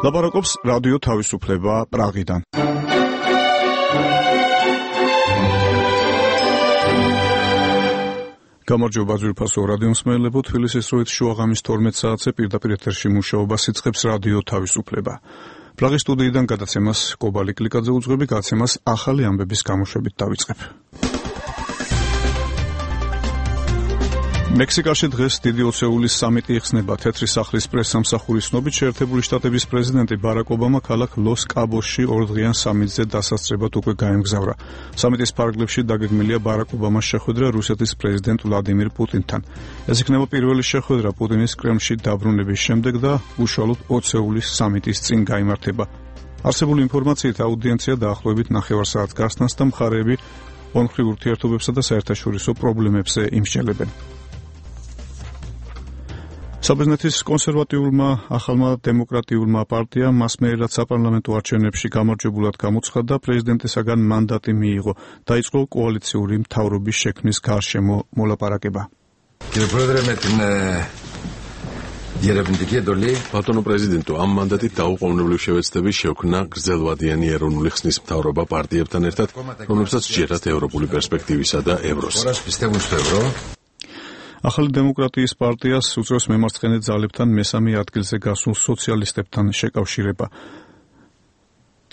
ლაპარაკობს რადიო თავისუფლება პრაღიდან. გამარჯობა ძვირფასო რადიო მსმენელებო, თბილისის დროით შუაღამის 12 საათზე პირდაპირ ეთერში მუშაობას იწყებს რადიო თავისუფლება. პრაღის სტუდიიდან გადაცემას კობალი კლიკაძე უძღვები, გადაცემას ახალი ამბების გამოშვებით დავიწყებ. მექსიკაში დღეს დიდი ოცეულის სამიტი იხსნება. თეთრი სახლის პრესსამსახურის ცნობით, შეერთებული შტატების პრეზიდენტი ბარაკ ობამა ქალაქ ლოს-კაბოსში ორდღიან სამიტზე დასასწრებად უკვე გაემგზავრა. სამიტის ფარგლებში დაგეგმილია ბარაკ ობამას შეხვედრა რუსეთის პრეზიდენტ ვლადიმირ პუტინთან. ეს იქნება პირველი შეხვედრა პუტინის კრემლში დაბრუნების შემდეგ და უშუალოდ ოცეულის სამიტის წინ გაიმართება. არსებული ინფორმაციით აუდიენცია დაახლოებით 9 საათს გასცნას და მხარეები ორმხრივ ურთიერთობებსა და საერთაშორისო პრობლემებზე იმსჯელებენ. საბერძნეთის კონსერვატიულმა ახალმა დემოკრატიულმა პარტიამ მასმერილად საპარლამენტო არჩევნებში გამარჯვებულად გამოცხადა, პრეზიდენტისაგან მანდატი მიიღო. დაიწყო კოალიციური მთავრობის შექმნის გარშემო მოლაპარაკება. ბატონო პრეზიდენტო, ამ მანდატით დაუყოვნებლივ შევეცდები შექმნა გრძელვადიანი ეროვნული ხსნის მთავრობა პარტიებთან ერთად, რომლებსაც სჯერათ ევროპული პერსპექტივისა და ევროს. ახალი დემოკრატიის პარტიას უწევს მემარცხენე ძალებთან მესამე ადგილზე გასულ სოციალისტებთან შეკავშირება.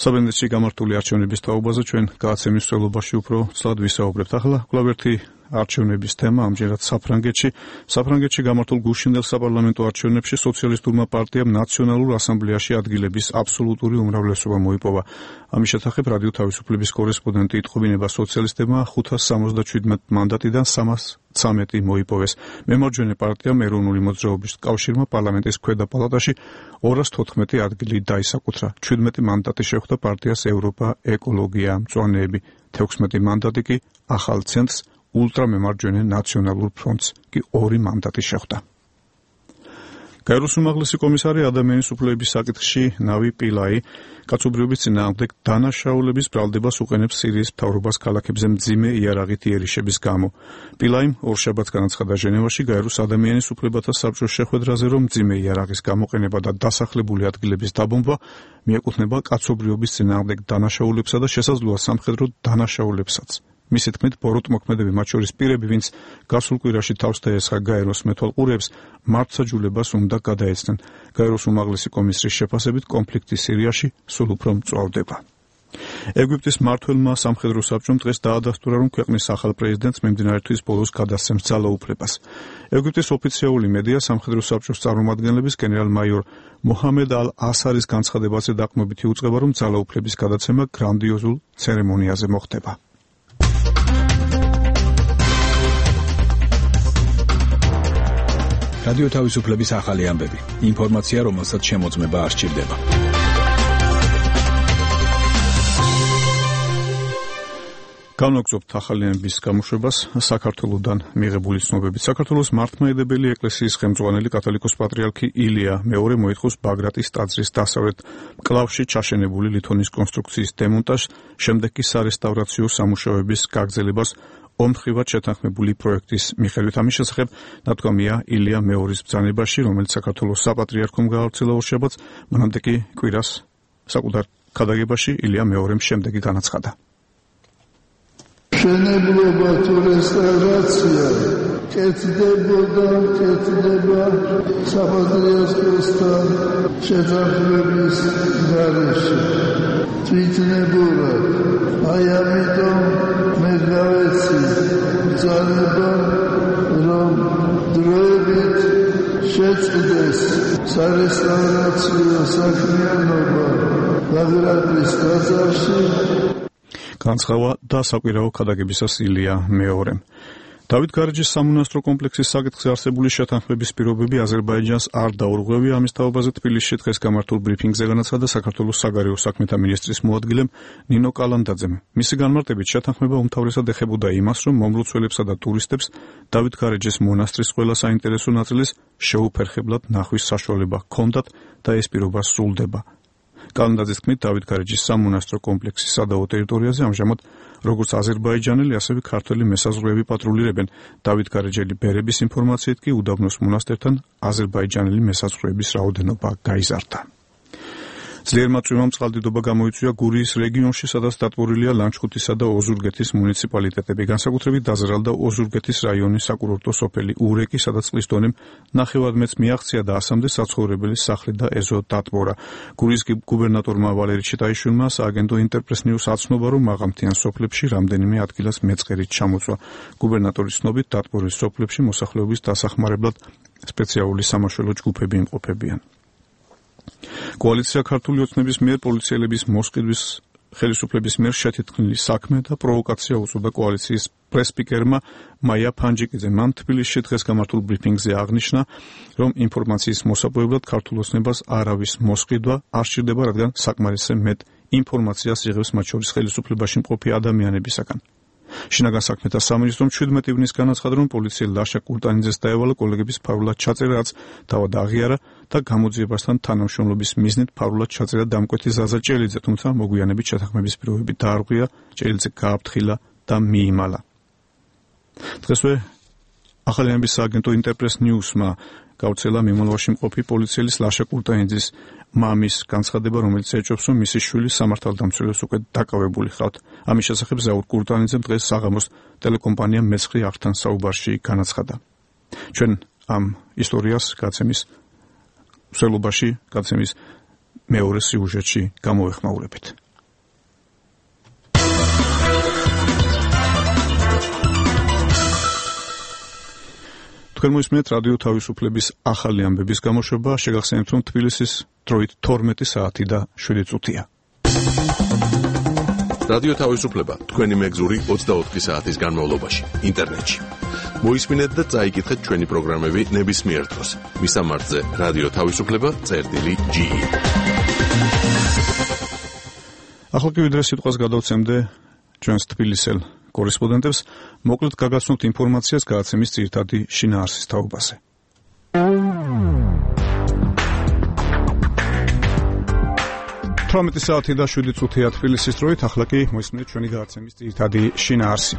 საბერძნეთში გამართული არჩევნების თაობაზე ჩვენ გადაცემის მსვლელობაში უფრო ცალად ვისაუბრებთ. ახლა კვლავ ერთი არჩევნების თემა ამჯერად საფრანგეთში გამართულ გუშინდელ საპარლამენტო არჩევნებში სოციალისტურმა პარტიამ ნაციონალურ ასამბლეაში ადგილების აბსოლუტური უმრავლესობა მოიპოვა. ამის შესახებ რადიო თავისუფლების კორესპონდენტი იტყობინება, სოციალისტებმა 577 მანდატიდან 313 მოიპოვეს. მემარჯვენე პარტიამ ეროვნული მოძრაობის კავშირმა პარლამენტის ქვედა პალატაში 214 ადგილი დაისაკუთრა. 17 მანდატი შეხვდა პარტიას ევროპა, ეკოლოგია, მწვანეები. 16 მანდატი კი ახალ ცენტრს, ულტრამემარჯვენე ნაციონალურ ფრონტს კი 2 მანდატი შეხვდა. გაეროს უმაღლესი კომისარი ადამიანის უფლებების საკითხში ნავი პილაი კაცობრიობის წინააღმდეგ დანაშაულების ბრალდებას უყენებს სირიის მთავრობას ქალაქებზე მძიმე იარაღით იერიშების გამო. პილაიმ ორშაბათს განაცხადა ჟენევაში გაეროს ადამიანის უფლებათა საბჭოს შეხვედრაზე, რომ მძიმე იარაღის გამოყენება და დასახლებული ადგილების დაბომბვა მიეკუთვნება კაცობრიობის წინააღმდეგ დანაშაულებსა და შესაძლოა სამხედრო დანაშაულებსაც. მისი თქმით, ბოროტმოქმედები, მათ შორის პირები, ვინც გასულ კვირაში თავს დაესხა გაეროს მეთვალყურეებს, მართლმსაჯულებას უნდა გადაეცნენ. გაეროს უმაღლესი კომისრის შეფასებით, კონფლიქტი სირიაში სულ უფრო მწვავდება. ეგვიპტის მმართველმა სამხედრო საბჭომ დღეს დაადასტურა, რომ ქვეყნის ახალ პრეზიდენტს მიმდინარე თვის ბოლოს გადასცემს ძალაუფლებას. ეგვიპტის ოფიციალური მედია სამხედრო საბჭოს წარმომადგენლების გენერალ-მაიორ მოჰამედ ალ-ასარის განცხადებაზე დაყრდნობით იუწყება, რომ ძალაუფლების გადაცემა გრანდიოზულ ცერემონიაზე მოხდება. რადიო თავისუფლების ახალი ამბები. ინფორმაცია, რომელსაც შემოწმება არ სჭირდება. განვაგრძობთ ახალი ამბების გამოშვებას საქართველოსდან მიღებული ცნობებით. საქართველოს მართლმადიდებელი ეკლესიის ხელმძღვანელი კათოლიკოს პატრიარქი ილია მეორე მოითხოვს ბაგრატის ტაძრის დასავლეთ მკლავში ჩაშენებული ლითონის კონსტრუქციის დემონტაჟს, შემდეგ კი სარესტავრაციო სამუშაოების გაგრძელებას ომხრივად შეთანხმებული პროექტის მიხედვით. ამის შესახებ ნათქვამია ილია მეორის ბრძანებაში, რომელიც საქართველოს საპატრიარქომ გაავრცელა ორშაბათს, მანამდე კი კვირას საკუთარ ქადაგებაში ილია მეორემ შემდეგი განაცხადა. მშენებლობა თუ რესტავრაცია კეთდება საპატრიარქოსთან შეთანხმების გარეშე. თვითნებურად, აი ამიტომ მე გავეცი ბრძანება, რომ დროებით შეწყდეს სარესტავრაციო საქმიანობა ბაგრატის ტაძარში. განცხადა და საკვირაო ქადაგებისას ილია მეორემ. დავით გარეჯის სამონასტრო კომპლექსის საკითხზე არსებული შეთანხმების პირობები აზერბაიჯანს არ დაურღვევია. ამის თაობაზე თბილისში დღეს გამართულ ბრიფინგზე განაცხადა საქართველოს საგარეო საქმეთა მინისტრის მოადგილემ ნინო კალანდაძემ. მისი განმარტებით, შეთანხმება უმთავრესად ეხებოდა იმას, რომ მომლოცველებსა და ტურისტებს დავით გარეჯის მონასტრის ყველა საინტერესო ნაწილის შეუფერხებლად ნახვის საშუალება ჰქონდათ და ეს პირობა სრულდება. კალანდაძის თქმით, დავით გარეჯის სამონასტრო კომპლექსის სადავო ტერიტორიაზე ამჟამად როგორც აზერბაიჯანელი, ასევე ქართველი მესაზღვრეები პატრულირებენ. დავით გარეჯელი ბერების ინფორმაციით კი უდაბნოს მონასტერთან აზერბაიჯანელი მესაზღვრეების რაოდენობა გაიზარდა. ძლიერმა წვიმამ წყალდიდობა გამოიწვია გურიის რეგიონში, სადაც დატბორილია ლანჩხუთისა და ოზურგეთის მუნიციპალიტეტები. განსაკუთრებით დაზრალდა ოზურგეთის რაიონის საკურორტო სოფელი ურეკი, სადაც წყლის დონემ 9 მეტრს მიაღწია და 100-მდე საცხოვრებელი სახლი და ეზო დატბორა. გურიის გუბერნატორმა ვალერი ჩიტაიშვილმა სააგენტო ინტერპრეს ნიუს აცნობა, რომ მაღალმთიან სოფლებში რამდენიმე ადგილას მეწყერით ჩამოწვა. გუბერნატორის ცნობით დატბორის სოფლებში მოსახლეობის დასახმარებლად სპეციალური სამაშველო ჯგუფები იმყოფებიან. კოალიცია ქართული ოცნების მიერ პოლიციელების მოსყიდვის ხელისუფლების მიერ შეთეთქმული საქმე და პროვოკაცია უწოდა კოალიციის პრესპიკერმა მაია ფანჯიკიძე. მან თბილისში დღეს გამართულ ბრიფინგზე აღნიშნა, რომ ინფორმაციის მოსაპოვებლად ქართულ ოცნებას არავის მოსყიდვა არ სჭირდება, რადგან საკმარისზე მეტ ინფორმაციას იღებს მათ შორის ხელისუფლებაში მყოფი ადამიანებისაგან. შინაგან საქმეთა სამინისტრომ 17 ივნისს განაცხადა, რომ პოლიციელ ლაშა კურტანიძეს დაევალა კოლეგების ფარულად ჩაწერა, რაც თავად აღიარა და გამოძიებასთან თანამშრომლობის მიზნით ფარულად ჩაწერა დამკვეთი ზაზა ჭელიძე, თუმცა მოგვიანებით შეთანხმების პირობები დაარღვია, ჭელიძე გააფრთხილა და მიიმალა. დღესვე ახალიანების სააგენტო ინტერპრეს ნიუსმა გავრცელა მიმოვლაში მყოფი პოლიციელის ლაშა კურტანიძის მამის განცხადება, რომელიც ეჭვობს, რომ მისი შვილი სამართალდამცველებს უკვე დაკავებული ხავთ. ამის შესახებ ზაურ კურტანიძემ დღეს საღამოს ტელეკომპანია მეცხრე არხთან საუბარში განაცხადა. ჩვენ ამ ისტორიას გაცემის მსვლელობაში, გაცემის მეორე სიუჟეტში გამოვეხმაურებით. თქვენ მოისმენთ რადიო თავისუფლების ახალი ამბების გამოშვება. შეგახსენებთ, რომ თბილისის დროით 12 საათი და 7 წუთია. რადიო თავისუფლება თქვენი მეგზური 24 საათის განმავლობაში ინტერნეტში. მოისმინეთ და წაიკითხეთ ჩვენი პროგრამები ნებისმიერ დროს. მისამართზე რადიო თავისუფლება.ge. ახლა კი ვიდრე სიტყვას გადავცემდე ჩვენს თბილისელ კორესპონდენტებს, მოკლედ გაგაცნობთ ინფორმაციას გადაცემის ძირითადი შინაარსის თაობაზე. საათი და 7 წუთია თბილისის დროით, ახლა კი მოისმინეთ ჩვენი გადაცემის ძირითადი შინაარსი.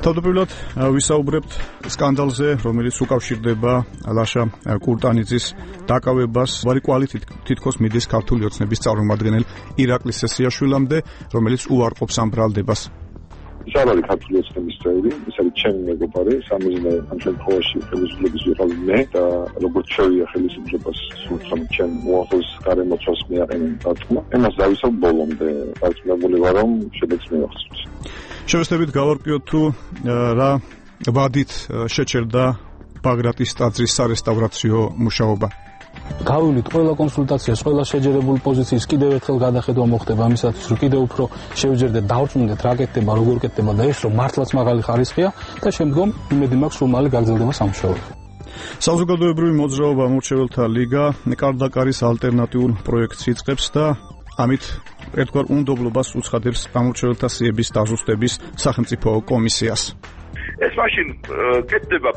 თავდაპირველად ვისაუბრებთ სკანდალზე, რომელიც უკავშირდება ლაშა კურტანიძის დაკავებას. ვარი კვალით თითქოს მიდის ქართული ოცნების წარმომადგენელ ირაკლი სესიაშვილამდე, რომელიც უარყოფს ამ ბრალდებას. ის არ არის ქართული ოცნების წევრი, ის არის ჩემი მეგობარი, სამიზნე ამ შემთხვევაში ხელისუფლების ვიყავი მე და როგორც შევია ხელისუფლებას სულთან ჩემ უახლოს გარემოცვას მიაყენე დათქმა. იმას დავისალ ბოლომდე, დარწმუნებული ვარ, რომ შედეგს მივახსოვს. შევესწრებით გავარკვიოთ თუ რა ვადით შეჩერდა ბაგრატის ტაძრის სარესტავრაციო მუშაობა. გავივლით ყველა კონსულტაციას, ყველა შეჯერებული პოზიციის კიდევ ერთხელ გადახედვა მოხდება ამისათვის, რომ კიდევ უფრო შევჯერდეთ, დავწუნდეთ რა კეთდება, როგორ კეთდება და ეს რომ მართლაც მაღალი ხარისხია და შემდგომ იმედი მაქვს, რომ მალე გაგრძელდება სამუშაოები. საზოგადოებრივი მოძრაობა ამორჩეველთა ლიგა კარდაკარის ალტერნატიულ პროექტს იწყებს და ამით ერთგვარ უნდობლობას უცხადებს ამორჩეველთა სიების დაზუსტების სახელმწიფო კომისიას. ეს მაშინ კეთდება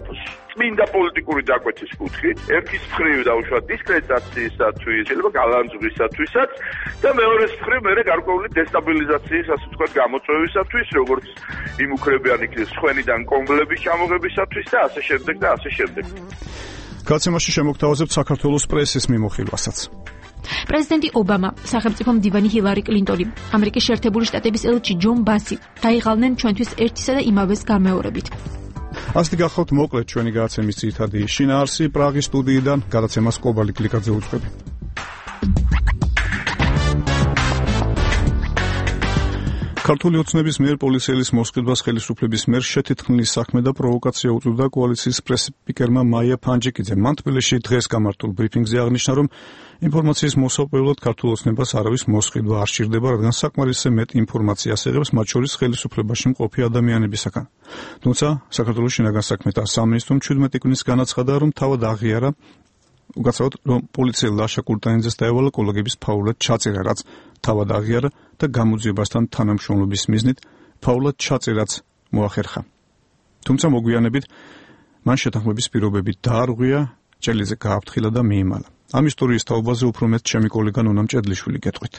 წმინდა პოლიტიკური დაკვეთის კუთხით, ერთის მხრივ დაუშვათ დისკრედიტაციისათვის, შეიძლება გალანძღვისათვისაც და მეორეს მხრივ მე გარკვეული დესტაბილიზაციის, ასე ვთქვათ, გამოწვევისათვის, როგორც იმ უქრებიან იქნეს სხვენიდან კონგლების ჩამოღებისათვის და ასე შემდეგ და ასე შემდეგ. გაცემაში შემოგთავაზებთ საქართველოს პრესის მიმოხილვასაც. პრეზიდენტი ობამა, სახელმწიფო მდივანი ჰილარი კლინტონი, ამერიკის შეერთებული შტატების ელჩი ჯონ ბასი დაიღალნენ ჩვენთვის ერთისა და იმავეს გამეორებით. ასეთი გახლავთ მოკლედ ჩვენი გადაცემის ძირითადი შინაარსი. პრაღის სტუდიიდან გადაცემას კობალი კლიკაძე უძღვები. ქართული ოცნების მიერ პოლიციელის მოსყიდვას ხელისუფლების მიერ შეთეთქმული საქმე და პროვოკაცია უწევდა კოალიციის პრესპიკერმა მაია ფანჯიკიძემ. მან თბილისში დღეს გამართულ ბრიფინგზე აღნიშნა, რომ ინფორმაციის მოსაპოვებლად ქართულ ოცნებას არავის მოსყიდვა არ სჭირდება, რადგან საკმარისზე მეტ ინფორმაციას იღებს მათ შორის ხელისუფლებაში მყოფი ადამიანებისაგან. თუმცა საქართველოს შინაგან საქმეთა სამინისტრომ 17 ივნისს განაცხადა, რომ თავად აღიარა უგაცავად, რომ პოლიციელ ლაშა კურტანიძეს დაევალა კოლეგების ფაულად ჩაწერა, რაც თავად აღიარა და გამოძიებასთან თანამშრომლობის მიზნით ფაულად ჩაწერაც მოახერხა. თუმცა მოგვიანებით მან შეთანხმების პირობები დაარღვია, ჭელიძე გააფრთხილა და მიიმალა. ამ ისტორიის თაობაზე უფრო მეტ ჩემი კოლეგა ნონა მჭედლიშვილი გეტყვით.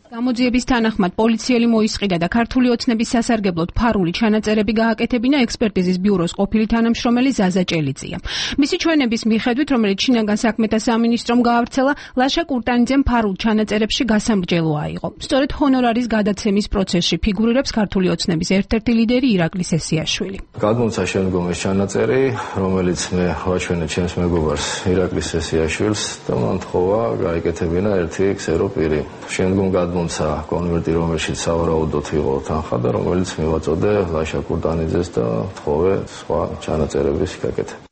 გამოძიების თანახმად პოლიციელი მოისყიდა და ქართული ოცნების სასარგებლოდ ფარული ჩანაწერები გააკეთებინა ექსპერტიზის ბიუროს ყოფილი თანამშრომელი ზაზა ჭელიძია. მისი ჩვენების მიხედვით, რომელიც შინაგან საქმეთა სამინისტრომ გაავრცელა, ლაშა კურტანიძემ ფარულ ჩანაწერებში გასამრჯელო აიღო. სწორედ ჰონორარის გადაცემის პროცესში ფიგურირებს ქართული ოცნების ერთ-ერთი ლიდერი ირაკლი სესიაშვილი. გადმოცა შემდგომ ეს ჩანაწერი, რომელიც მე ვაჩვენე ჩემს მეგობარს ირაკლი სესიაშვილს და მან თხოვა გაეკეთებინა ერთი ქსერო პირი. შემდგომ გადმოცა კონვერტი, რომელშიც სავარაუდოდ იყო თანხა და რომელიც მივაწოდე ლაშა კურტანიძეს და თხოვე სხვა ჩანაწერების გაკეთება.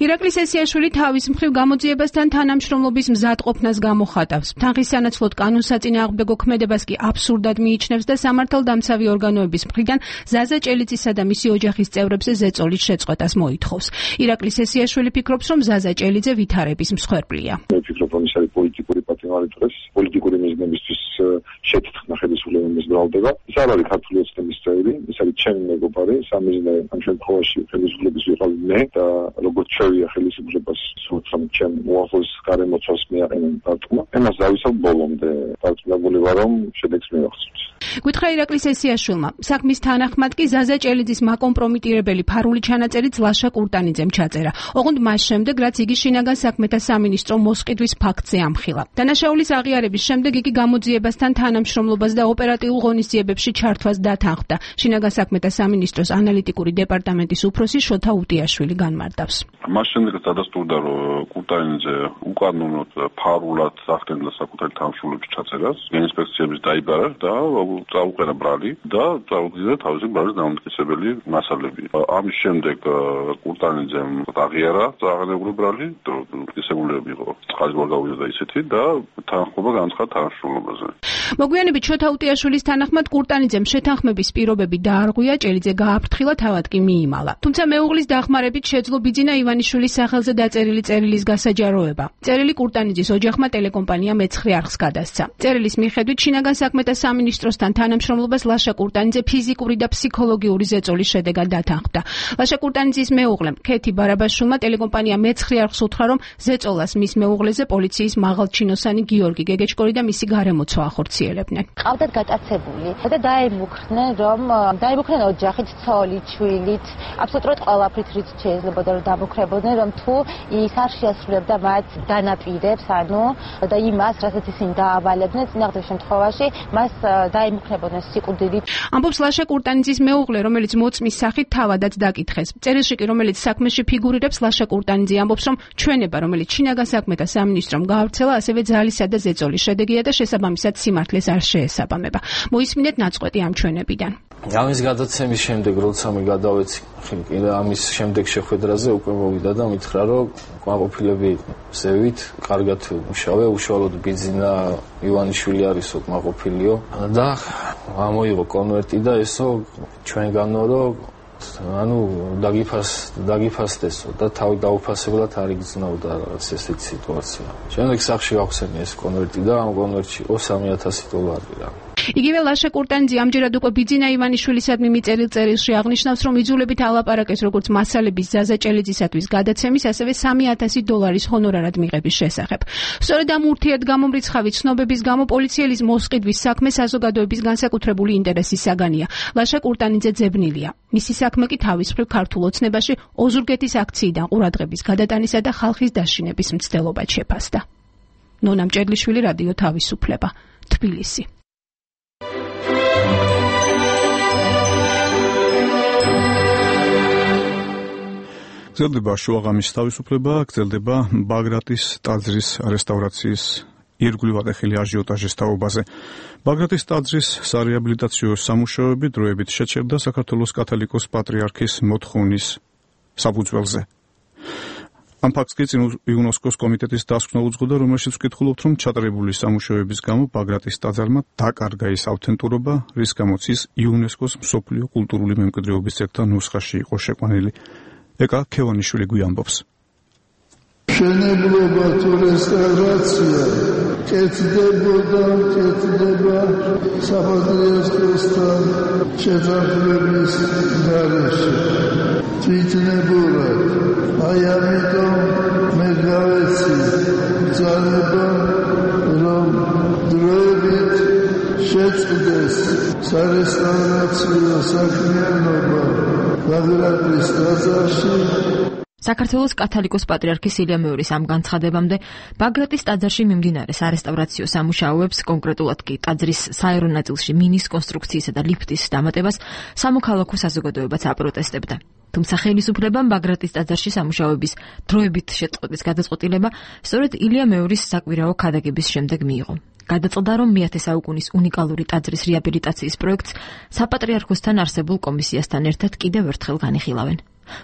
ირაკლი სესიაშვილი თავის მხრივ გამოძიებასთან თანამშრომლობის მზადყოფნას გამოხატავს. თანხის სანაცვლოდ კანონსაწინააღმდეგო ქმედებას კი აბსურდად მიიჩნევს და სამართალდამცავი ორგანოების მხრიდან ზაზა ჭელიძისა და მისი ოჯახის წევრებზე ზეწოლის შეწყვეტას მოითხოვს. ირაკლი სესიაშვილი ფიქრობს, რომ ზაზა ჭელიძე ვითარების მსხვერპლია. მე ვფიქრობ, რომ ის არის პოლიტიკური პატიმარიტყვეს, პოლიტიკური მიზნებისთვის შეთანხმება ხელისუფლების ბრალდება. ის არ არის ქართული ოცნების წევრი, ის არის ჩემი მეგობარი, სამიზნე ამ შემთხვევაში ხელისუფლების ვიყავ მე და როგორც შევია ხელისუფლებას სულთან ჩემ უახლოს გარემოცვას მიაყენე დარტყმა. ამას დავისალ ბოლომდე დარწმუნებული ვარ, რომ შედეგს მივახცევთ. გითხრა ირაკლი სესიაშვილმა, საქმის თანახმად კი ზაზა ჭელიძის მაკომპრომიტირებელი ფარული ჩანაწერიც ლაშა კურტანიძემ ჩაწერა. ოღონდ მას შემდეგ, რაც იგი შინაგან საქმეთა სამინისტრო მოსყიდვის ფაქტზე ამხილა. დანაშაულის აღიარების შემდეგ იგი გამოძიებასთან თანამშრომლობას და ოპერატიულ ღონისძიებებში ჩართვას დათანხმდა. შინაგან საქმეთა სამინისტროს ანალიტიკური დეპარტამენტის უფროსი შოთა უტიაშვილი განმარტავს. მას შემდეგაც დადასტურდა, რომ კურტანიძე უკანონოდ ფარულად ახდენდა საკუთარი თანამშრომლობის ჩაწერას, ინსპექციების დაიბარა და წაუყენა ბრალი და წაუგზავნა თავისი ბრალის დამამტკიცებელი მასალები. ამის შემდეგ კურტანიძემ აღიარა წაღანებული ბრალი, დამტკიცებულები იყო წყალი ვერ გავიდა ისეთი და თანხმობა განცხადა თანამშრომლობაზე. მოგვიანებით შოთა უტიაშვილის თანახმად კურტანიძემ შეთანხმების პირობები დაარღვია, ჭელიძე გააფრთხილა, თავად კი მიიმალა. თუმცა მეუღლის დახმარებით შეძლო ბიძინა ივანიშვილის სახელზე დაწერილი წერილის გასაჯაროება. წერილი კურტანიძის ოჯახმა ტელეკომპანია მეცხრე არხს გადასცა. წერილის მიხედვით შინაგან საქმეთა სამინისტროსთან თანამშრომლობას ლაშა კურტანიძე ფიზიკური და ფსიქოლოგიური ზეწოლის შედეგად დათანხმდა. ლაშა კურტანიძის მეუღლემ ქეთი ბარაბაშვილმა ტელეკომპანია მეცხრე არხს უთხრა, რომ ზეწოლას მის მეუღლეზე პოლიციის მაღალჩინოსანი გიორგი გეგეჭკორი და მისი გარემოცვა ახორციელებდნენ. ყავდათ გატაცებული და დაემუქრნენ ოჯახით, ცოლით, შვილით, აბსოლუტურად ყველაფრით, რით შეიძლება რომ დამუქრებოდნენ, რომ თუ ის არ შეასრულებდა მათ განაპირებს, და იმას, რასაც ისინი დაავალებდნენ, წინააღმდეგ შემთხვევაში მას დაემუქრებოდნენ სიკვდილით. ამბობს ლაშა კურტანიძის მეუღლე, რომელიც მოწმის სახით თავადაც დაკითხეს. წერილში კი, რომელიც საქმეში ფიგურირებს, ლაშა კურტანიძე ამბობს, რომ ჩვენება, რომელიც შინაგან საქმეთა სამინისტრომ გაავრცელა, ასევე ძალისა და ზეწოლის შედეგია და შესაბამისად სიმართლეს არ შეესაბამება. მოისმინეთ ნაწყვეტი ამ ჩვენებიდან. ამის გადაცემის შემდეგ, როცა მე გადავეცი ამის შემდეგ შეხვედრაზე, უკვე მოვიდა და მითხრა, რომ კმაყოფილები ზევით, კარგად მუშავე, უშუალოდ ბიძინა ივანიშვილი არისო კმაყოფილიო და ამოიღო კონვერტი და ესო ჩვენგანო, რომ დაგიფასდესო და თავი დაუფასებლად არ იგრძნობდა რაღაც ესეთი სიტუაცია. შემდეგ სახში გავხსენე ეს კონვერტი და ამ კონვერტში იყო $3,000 რა. იგივე ლაშა კურტანიძე ამჯერად უკვე ბიძინა ივანიშვილისადმი მიწერილ წერილში აღნიშნავს, რომ იძულებით ალაპარაკეს როგორც მასალების ზაზა ჭელიძისათვის გადაცემის, ასევე $3,000 ჰონორარად მიღების შესახებ. სწორედ ამ ურთიერთგამომრიცხავი ცნობების გამო პოლიციელის მოსყიდვის საქმე საზოგადოების განსაკუთრებული ინტერესის საგანია. ლაშა კურტანიძე ძებნილია. მისი საქმე კი თავის მხრივ ქართულ ოცნებაში ოზურგეთის აქციიდან ყურადღების გადატანისა და ხალხის დაშინების მცდელობად შეფასდა. ნონა მჭედლიშვილი, რადიო თავისუფლება, თბილისი. გრძელდება შუაღამის თავისუფლება, გრძელდება ბაგრატის ტაძრის რესტავრაციის ირგვლივ ატეხილი აჟიოტაჟის თაობაზე. ბაგრატის ტაძრის სარეაბილიტაციო სამუშაოები დროებით შეჩერდა საქართველოს კათოლიკოს პატრიარქის მოთხოვნის საფუძველზე. ამ ფაქტს კი იუნესკოს კომიტეტის დასკვნელ უძღოდა, რომელშიც ვკითხულობთ, რომ ჩატარებული სამუშაოების გამო ბაგრატის ტაძარმა დაკარგა ის ავთენტურობა, რის გამოც ის იუნესკოს მსოფლიო კულტურული მემკვიდრეობის ძეგლთა ნუსხაში იყო შეყვანილი. ეკა ქევანიშვილი გვიამბობს. მშენებლობა თუ რესტავრაცია კეთდება საპატრიარქოსთან შეძახლების გარეშე. თვითნებურად აი ამიტომ მე გავეცი ძალება, რომ დროებით სარესტავრაციო საქმიანობა ბაგრატის ტაძარში. საქართველოს კათოლიკოს პატრიარქის ილია მეორის ამ განცხადებამდე ბაგრატის ტაძარში მიმდინარე სარესტავრაციო სამუშაოებს, კონკრეტულად კი ტაძრის საერო ნაწილში მინის კონსტრუქციისა და ლიფტის დამატებას სამოქალაქო საზოგადოებაც აპროტესტებდა. თუმცა ხელისუფლებამ ბაგრატის ტაძარში სამუშაოების დროებით შეწყვეტის გადაწყვეტილება სწორედ ილია მეორის საკვირაო ქადაგების შემდეგ მიიღო. გადაწყდა, რომ მე-10 საუკუნის უნიკალური ტაძრის რეაბილიტაციის პროექტს საპატრიარქოსთან არსებულ კომისიასთან ერთად კიდევ ერთხელ განიხილავენ.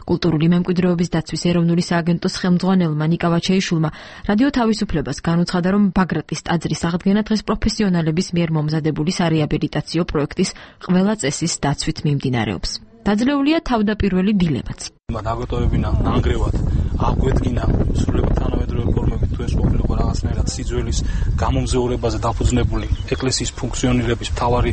კულტურული მემკვიდრეობის დაცვის ეროვნული სააგენტოს ხელმძღვანელმა ნიკა ვაჩეიშვილმა რადიო თავისუფლებას განუცხადა, რომ ბაგრატის ტაძრის აღდგენა დღეს პროფესიონალების მიერ მომზადებული სარეაბილიტაციო პროექტის ყველა წესის დაცვით მიმდინარეობს. დაძლეულია თავდაპირველი დილებაც. დაგოტოვებინა ნანგრევად აგვედგინა სრულიად თანამედროვე ფორმებით თუ ეს ყოფილიყო რაღაცნაირად სიძველის გამომზეურებაზე დაფუძნებული ეკლესიის ფუნქციონირების მთავარი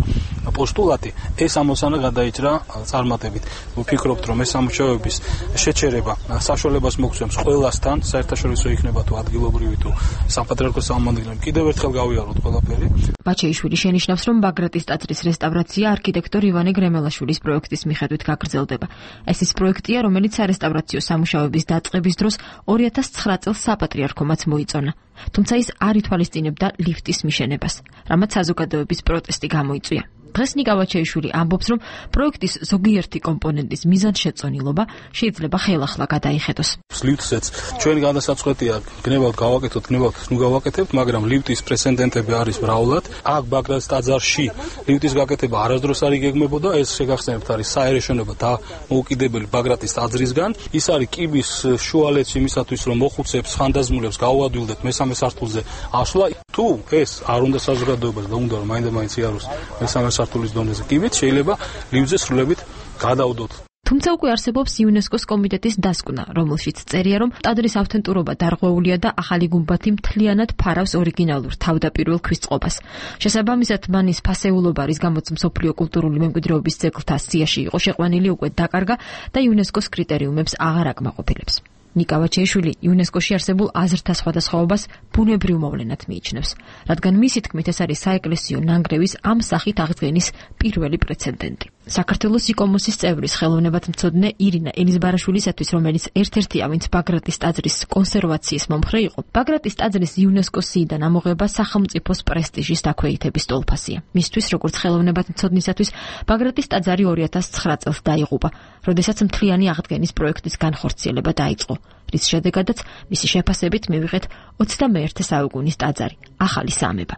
პოსტულატი, ეს ამოცანა გადაიჭრა წარმატებით. ვფიქრობთ, რომ ეს სამუშაოების შეჩერება საშუალებას მოგცემს ყველასთან, საერთაშორისო იქნება თუ ადგილობრივი თუ საპატრიარქოს სამმართველო, კიდევ ერთხელ გავიაროთ ყველაფერი. ბაჩეიშვილი შენიშნავს, რომ ბაგრატის ტაძრის რესტავრაცია არქიტექტორ ივანე გრემელაშვილის პროექტის მიხედვით გაგრძელდება. ეს ის პროექტია, რომელიც სარესტავრაციო სამუშაოების დაწყების დროს 2009 წელს საპატრიარქომაც მოიწონა. თუმცა ის არ ითვალისწინებდა ლიფტის მიშენებას, რამაც საზოგადოების პროტესტი გამოიწვია. დღეს ნიკა ვაჩეიშვილი ამბობს, რომ პროექტის ზოგიერთი კომპონენტის მიზანშეწონილობა შეიძლება ხელახლა გადაიხედოს. ლიფტსაც ჩვენ გადასაწყვეტია გნებავთ გავაკეთოთ, გნებავთ ნუ გავაკეთებთ, მაგრამ ლიფტის პრეცედენტები არის მრავლად. აქ ბაგრატის ტაძარში ლიფტის გაკეთება არასდროს არ იგეგმებოდა, ეს შეგახსენებთ არის საერე შენობა და მოუკიდებელი ბაგრატის ტაძრისგან. ის არის კიბის შუალედში იმისათვის, რომ მოხუცებს, ხანდაზმულებს გაუადვილდეთ მესამე სართულზე ასვლა. თუ ეს არ უნდა საზოგადოებას და უნდა რომ მაინდა-მაინც იაროს მესამე სართულის დონეზე კიბით, შეიძლება ლიფტზე სრულებით გადავდოთ. თუმცა უკვე არსებობს იუნესკოს კომიტეტის დასკვნა, რომელშიც წერია, რომ ტაძრის ავთენტურობა დარღვეულია და ახალი გუმბათი მთლიანად ფარავს ორიგინალურ თავდაპირველ ქვის წყობას. შესაბამისად, მანის ფასეულობა, რის გამოც მსოფლიო კულტურული მემკვიდრეობის ძეგლთა სიაში იყო შეყვანილი, უკვე დაკარგა და იუნესკოს კრიტერიუმებს აღარ აკმაყოფილებს. ნიკა ვაჩეიშვილი იუნესკოში არსებულ აზრთა სხვადასხვაობას ბუნებრივ მოვლენად მიიჩნევს, რადგან მისი თქმით ეს არის საეკლესიო ნანგრევის ამ სახით აღდგენის პირველი პრეცედენტი. საქართველოს იკომოსის წევრის ხელოვნებათმცოდნე ირინა ელიზბარაშვილისათვის, რომელიც ერთ-ერთია, ვინც ბაგრატის ტაძრის კონსერვაციის მომხრე იყო, ბაგრატის ტაძრის იუნესკოს სიიდან ამოღება სახელმწიფოს პრესტიჟის დაქვეითების ტოლფასია. მისთვის, როგორც ხელოვნებათმცოდნისათვის, ბაგრატის ტაძარი 2009 წელს დაიღუპა, როდესაც მთლიანი აღდგენის პროექტის განხორციელება დაიწყო, რის შედეგადაც მისი შეფასებით მივიღეთ 21 საუკუნის ტაძარი, ახალი სამება.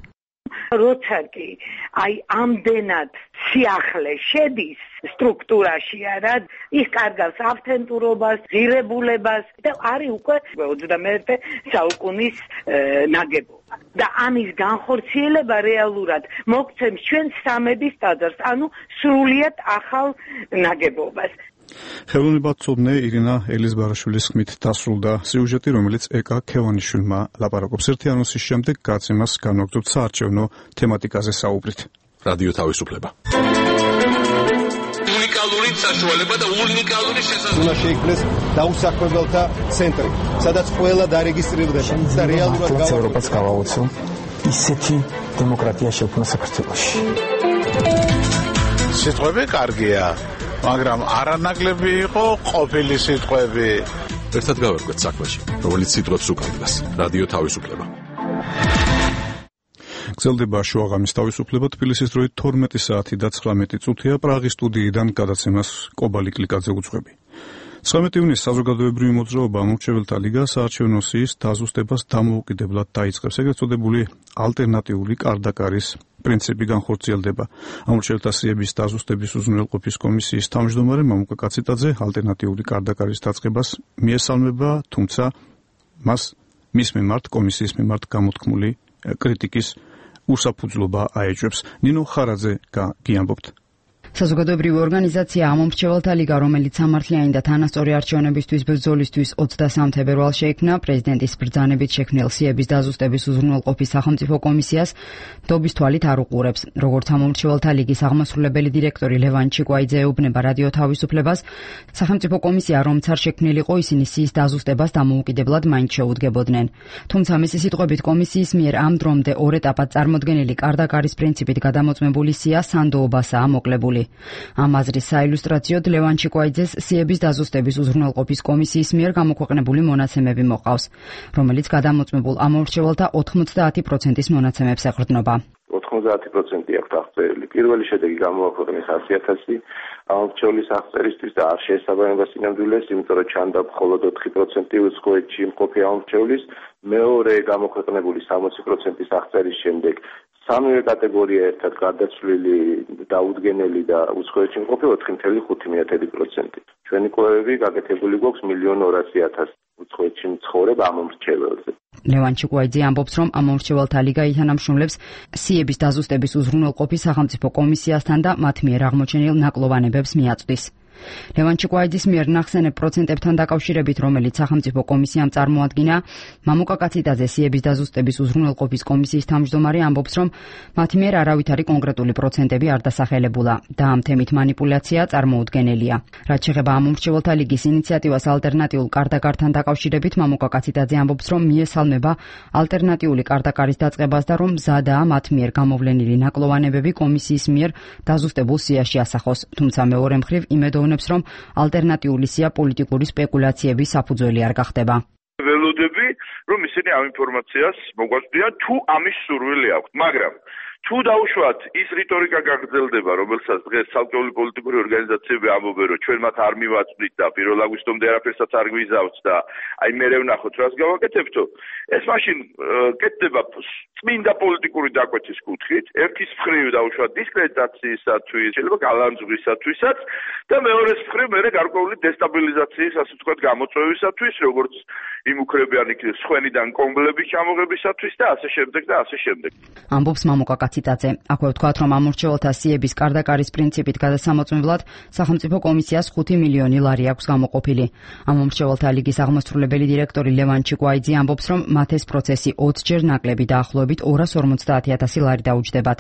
როცა კი ამდენად სიახლე შედის სტრუქტურაში არა, ის კარგავს ავთენტურობას, ღირებულებას და არის უკვე 21 საუკუნის ნაგებობა. და ამის განხორციელება რეალურად მოგცემს ჩვენ სამების ტაძარს, ანუ სრულიად ახალ ნაგებობას. ხელოვნებათმცოდნე ირინა ელიზბარაშვილის ხმით დასრულდა სიუჟეტი, რომელიც ეკა ქევანიშვილმა ლაპარაკობს. ერთი ანონსის შემდეგ გაცემას განვაგრძობთ საარჩევნო თემატიკაზე საუბრით. რადიო თავისუფლება. უნიკალური საშუალება და უნიკალური შესაძლებლობა. უნდა შეიქმნეს დაუსაქმებელთა ცენტრი, სადაც ყველა დარეგისტრირდება და რეალურად ევროპას გავაოცო ისეთი დემოკრატია შექმნა საქართველოში. სიტყვები კარგია, მაგრამ არანაკლები იყო ყოფილი სიტყვები. ერთად გავერკვეთ საქმეში, რომელიც სიტყვებს უკავშირდება. რადიო თავისუფლება. გრძელდება შუაღამის თავისუფლება. თბილისის დროით 12 საათი და 19 წუთია. პრაღის სტუდიიდან გადაცემას კობალი კლიკაძე უძღვები. 19 ივნისს საზოგადოებრივი მოძრაობა ამორჩეველთა ლიგა საარჩევნო სიის დაზუსტებას დამოუკიდებლად დაიწყებს. ეგრეთ წოდებული ალტერნატიული კარდაკარის პრინციპი განხორციელდება. ამორჩეველთა სიების დაზუსტების უზრუნველყოფის კომისიის თავმჯდომარე მამუკა კაციტაძე ალტერნატიული კარდაკარის დაწყებას მიესალმება, თუმცა მის მიმართ კომისიის მიმართ გამოთქმული კრიტიკის უსაფუძვლობა აეჭვებს. ნინო ხარაძე გიამბობთ. საზოგადოებრივი ორგანიზაცია ამომრჩეველთა ლიგა, რომელიც სამართლიანი და თანასწორი არჩევნებისთვის ბრძოლისთვის 23 თებერვალს შეიქმნა, პრეზიდენტის ბრძანებით შექმნილ სიების დაზუსტების უზრუნველყოფის სახელმწიფო კომისიას დობის თვალით არ უყურებს. როგორც ამომრჩეველთა ლიგის აღმასრულებელი დირექტორი ლევან ჩიკვაიძე ეუბნება რადიო თავისუფლებას, სახელმწიფო კომისია რომც არ შექმნილიყო, ისინი სიის დაზუსტებას დამოუკიდებლად მაინც შეუდგებოდნენ. თუმცა მისი სიტყვებით კომისიის მიერ ამ დრომდე ორ ეტაპად წარმოდგენილი კარდაკარის პრინციპით გადამოწმებული სია სანდოობასაა მოკლებული. ამ აზრის საილუსტრაციოდ ლევან ჩიკვაიძეს სიების დაზუსტების უზრუნველყოფის კომისიის მიერ გამოქვეყნებული მონაცემები მოყავს, რომელიც გადამოწმებულ ამომრჩეველთა 90% მონაცემებს ეყრდნობა. 90% აქვს აღწერილი. პირველი შედეგი გამოაქვეყნეს 100,000 ამომრჩევლის აღწერისთვის და არ შეესაბამება სინამდვილეს, იმიტომ რომ ჩანდა მხოლოდ 4% უცხოეთში მყოფი ამომრჩევლის. მეორე გამოქვეყნებული 60% აღწერის შემდეგ სამივე კატეგორია ერთად გარდაცვლილი, დაუდგენელი და უცხოეთში მყოფი 4.5%. ჩვენი კვლევები გაკეთებული გვაქვს 1,200,000 უცხოეთში მცხოვრებ ამომრჩეველზე. ლევან ჩიკვაიძე ამბობს, რომ ამომრჩეველთა ლიგა ითანამშრომლებს სიების დაზუსტების უზრუნველყოფის სახელმწიფო კომისიასთან და მათ მიერ აღმოჩენილ ნაკლოვანებებს მიაწვდის. ლევან ჩიკვაიძის მიერ ნახსენებ პროცენტებთან დაკავშირებით, რომელიც სახელმწიფო კომისიამ წარმოადგინა, მამუკა კაციტაძე, სიების დაზუსტების უზრუნველყოფის კომისიის თავმჯდომარე, ამბობს, რომ მათ მიერ არავითარი კონკრეტული პროცენტები არ დასახელებულა და ამ თემით манипуляცია წარმოუდგენელია. რაც შეეხება ამომრჩეველთა ლიგის ინიციატივას ალტერნატიულ კარდაკართან დაკავშირებით, მამუკა კაციტაძე ამბობს, რომ მიესალმება ალტერნატიული კარდაკარის დაწყებას და რომ მზადაა მათ მიერ გამოვლენილი ნაკლოვანებები კომისიის მიერ დაზუსტებულ სიაში ასახოს. თუმცა მეორე მხრივ იმედოვნებს, რომ ალტერნატიული სია პოლიტიკური სპეკულაციების საფუძველი არ გახდება. ველოდები, რომ ისინი ამ ინფორმაციას მოგვაწვდიან თუ ამის სურვილი აქვს, მაგრამ თუ დაუშვათ ის რიტორიკა გაგრძელდება, რომელსაც დღეს ცალკეული პოლიტიკური ორგანიზაციები ამბობენ, რომ ჩვენ მათ არ მივაწვდით და 1 აგვისტომდე არაფერსაც არ გვიზავთ და აი მერე ვნახოთ რას გავაკეთებთო, ეს მაშინ კეთდება წმინდა პოლიტიკური დაკვეთის კუთხით, ერთის მხრივ დაუშვათ დისკრედიტაციისათვის, შეიძლება გალანძღვისათვისაც და მეორეს მხრივ მერე გარკვეული დესტაბილიზაციის, ასე ვთქვათ, გამოწვევისათვის, როგორც იმუქრებიან იქ სხვენიდან კომბლების ჩამოღებისათვის და ასე შემდეგ და ასე შემდეგ. ამბობს მამუკა კაციტაძე. აქვე ვთქვათ, რომ ამომრჩეველთა სიების კარდაკარის პრინციპით გადასამოწმებლად სახელმწიფო კომისიას 5 მილიონი ლარი აქვს გამოყოფილი. ამომრჩეველთა ლიგის აღმასრულებელი დირექტორი ლევან ჩიკვაიძე ამბობს, რომ მათ ეს პროცესი 20ჯერ ნაკლები დაახლოებით 250,000 ლარი დაუჯდებათ.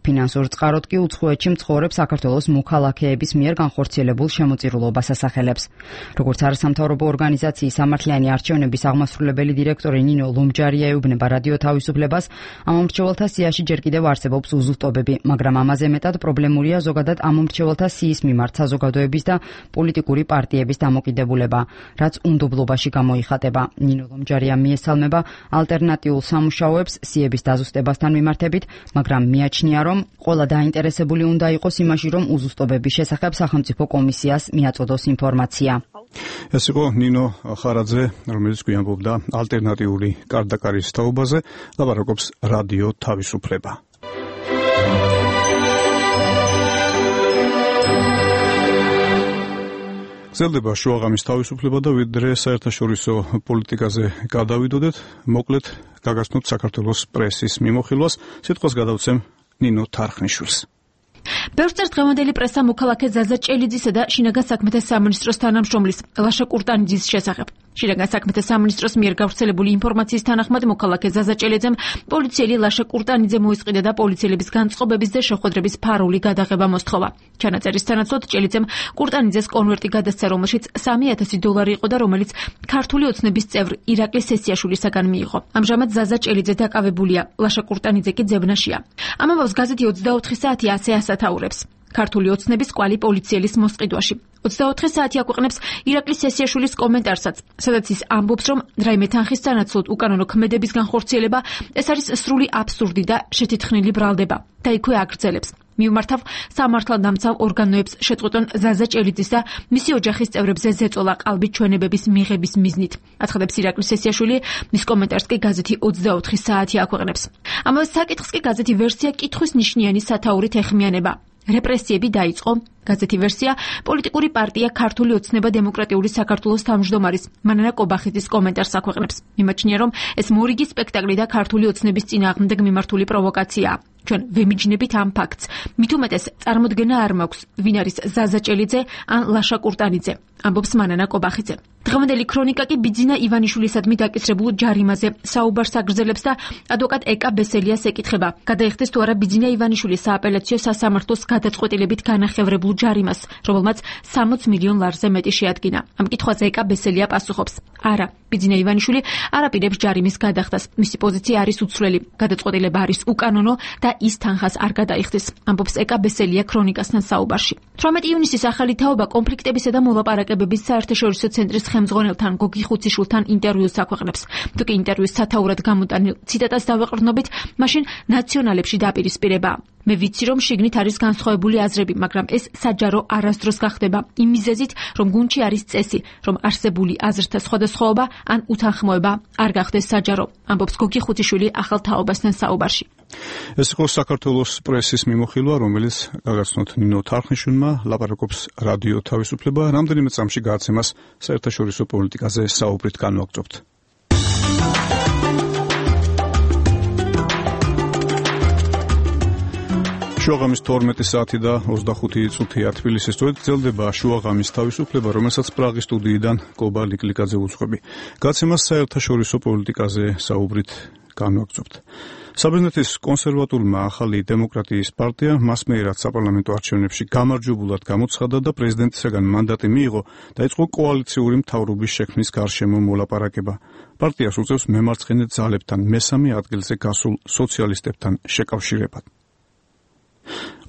ფინანსურ წყაროდ კი უცხოეთში მცხოვრებ საქართველოს მოქალაქეების მიერ განხორციელებულ შემოწირულობას ასახელებს. როგორც არასამთავრობო ორგანიზაციის სამართლიანი არჩევნების აღმასრულებელი დირექტორი ნინო ლომჯარია ეუბნება რადიო თავისუფლებას, ამომრჩეველთა სიაში ჯერ კიდევ არსებობს უზუსტობები, მაგრამ ამაზე მეტად პრობლემურია ზოგადად ამომრჩეველთა სიის მიმართ საზოგადოების და პოლიტიკური პარტიების დამოკიდებულება, რაც უნდობლობაში გამოიხატება. ნინო ლომჯარია მიესალმება ალტერნატიულ სამუშაოებს სიების დაზუსტებასთან მიმართებით, მაგრამ მიაჩნია, რომ ყველა დაინტერესებული უნდა იყოს იმაში, რომ უზუსტობების შესახებ სახელმწიფო კომისიას მიაწოდოს ინფორმაცია. ეს იყო ნინო ხარაძე, რომელიც გვიამბობდა ალტერნატიული კარდაკარის თაობაზე, ლაპარაკობს რადიო თავისუფლება. გრძელდება შუაღამის თავისუფლება და ვიდრე საერთაშორისო პოლიტიკაზე გადავიდოდეთ, მოკლედ გაგაცნოთ საქართველოს პრესის მიმოხილვას, სიტყვას გადავცემ ნინო თარხნიშვილს. ბევრს დღევანდელი პრესა მოქალაქე ზაზა ჭელიძისა და შინაგან საქმეთა სამინისტროს თანამშრომლის ლაშა კურტანიძის შესახებ. შინაგან საქმეთა სამინისტროს მიერ გავრცელებული ინფორმაციის თანახმად მოქალაქე ზაზა ჭელიძემ პოლიციელი ლაშა კურტანიძე მოისყიდა და პოლიციელების განწყობების და შეხვედრების ფარული გადაღება მოსთხოვა. ჩანაწერის თანაცვლად ჭელიძემ კურტანიძეს კონვერტი გადასცა, რომელშიც $3,000 იყო და რომელიც ქართული ოცნების წევრ ირაკლი სესიაშვილისაგან მიიღო. ამჟამად ზაზა ჭელიძე დაკავებულია, ლაშა კურტანიძე კი ძებნაშია. ამ ამბავს გაზეთი 24 საათი ასე ასათაურებს. ქართული ოცნების კვალი პოლიციელის მოსყიდვაში. 24 საათი აქვეყნებს ირაკლი სესიაშვილის კომენტარსაც, სადაც ის ამბობს, რომ რაიმე თანხის სანაცვლოდ უკანონო ქმედების განხორციელება ეს არის სრული აბსურდი და შეთითხნილი ბრალდება და იქვე აგრძელებს. მიუმართავ სამართალდამცავ ორგანოებს შეწყვეტონ ზაზა ჭელიძის და მისი ოჯახის წევრებზე ზეწოლა ყალბით ჩვენებების მიღების მიზნით. აცხადებს ირაკლი სესიაშვილი, მის კომენტარს კი გაზეთი 24 საათი აქვეყნებს. ამავე საკითხს კი გაზეთი ვერსია კითხვის ნიშნიანი სათაურით ეხმიანება. რეპრესიები დაიწყო. გაზეთი ვერსია პოლიტიკური პარტია ქართული ოცნება დემოკრატიული საქართველოს თავმჯდომარის მანანა კობახიძის კომენტარს აქვეყნებს. იმაჩნია, რომ ეს მორიგი სპექტაკლი და ქართული ოცნების წინააღმდეგ მიმართული პროვოკაციაა. ჩვენ ვემიჯნებით ამ ფაქტს. მით უმეტეს წარმოდგენა არ მაქვს, ვინ არის ზაზა ჭელიძე ან ლაშა კურტანიძე, ამბობს მანანა კობახიძე. დღევანდელი ქრონიკა კი ბიძინა ივანიშვილისადმი დაკისრებულ ჯარიმაზე საუბარს აგრძელებს და ადვოკატ ეკა ბესელიას ეკითხება, გადაიხდეს თუ არა ბიძინა ივანიშვილის სააპელაციო სასამართლოს გადაწყვეტილებით განახევრებულ ჯარიმას, რომელმაც 60 მილიონ ლარზე მეტი შეადგინა. ამ კითხვაზე ეკა ბესელია პასუხობს: არა, ბიძინა ივანიშვილი არ აპირებს ჯარიმის გადახდას. მისი პოზიცია არის უცვლელი. გადაწყვეტილება არის უკანონო და ის თანხას არ გადაიხდის, ამბობს ეკა ბესელია ქრონიკასთან საუბარში. 18 ივნისის ახალი თაობა კონფლიქტებისა და მოლაპარაკებების საერთაშორისო ცენტრის ხელმძღვანელთან გოგი ხუციშვილთან ინტერვიუს აქვეყნებს. თუკი ინტერვიუს სათაურად გამოტანილ ციტატას დავეყრდნობით, მაშინ ნაციონალებში დაპირისპირება. მე ვიცი, რომ შიგნით არის განსხვავებული აზრები, მაგრამ ეს საჯარო არასდროს გახდება იმ მიზეზით, რომ გუნდში არის წესი, რომ არსებული აზრთა სხვადასხვაობა ან უთანხმოება არ გახდეს საჯარო, ამბობს გოგი ხუციშვილი ახალ თაობასთან საუბარში. ეს იყო საქართველოს პრესის მიმოხილვა, რომელიც გაგაცნოთ ნინო თარხნიშვილმა, ლაპარაკობს რადიო თავისუფლება, რამდენიმე წამში გააცემას საერთაშორისო პოლიტიკაზე საუბრით განვაგრძობთ. შუაღამის 12 საათი და 25 წუთია თბილისის სწორედ გრძელდება შუაღამის თავისუფლება, რომელსაც პრაღის სტუდიიდან კობა ლიკლიკაძე უძღვები. გაცემას საერთაშორისო პოლიტიკაზე საუბრით განვაგრძობთ. საბერძნეთის კონსერვატულმა ახალი დემოკრატიის პარტია მასმეერად საპარლამენტო არჩევნებში გამარჯვებულად გამოცხადა და პრეზიდენტისაგან მანდატი მიიღო, დაიწყო კოალიციური მთავრობის შექმნის გარშემო მოლაპარაკება. პარტიას უწევს მემარცხენე ძალებთან მესამე ადგილზე გასულ სოციალისტებთან შეკავშირებად.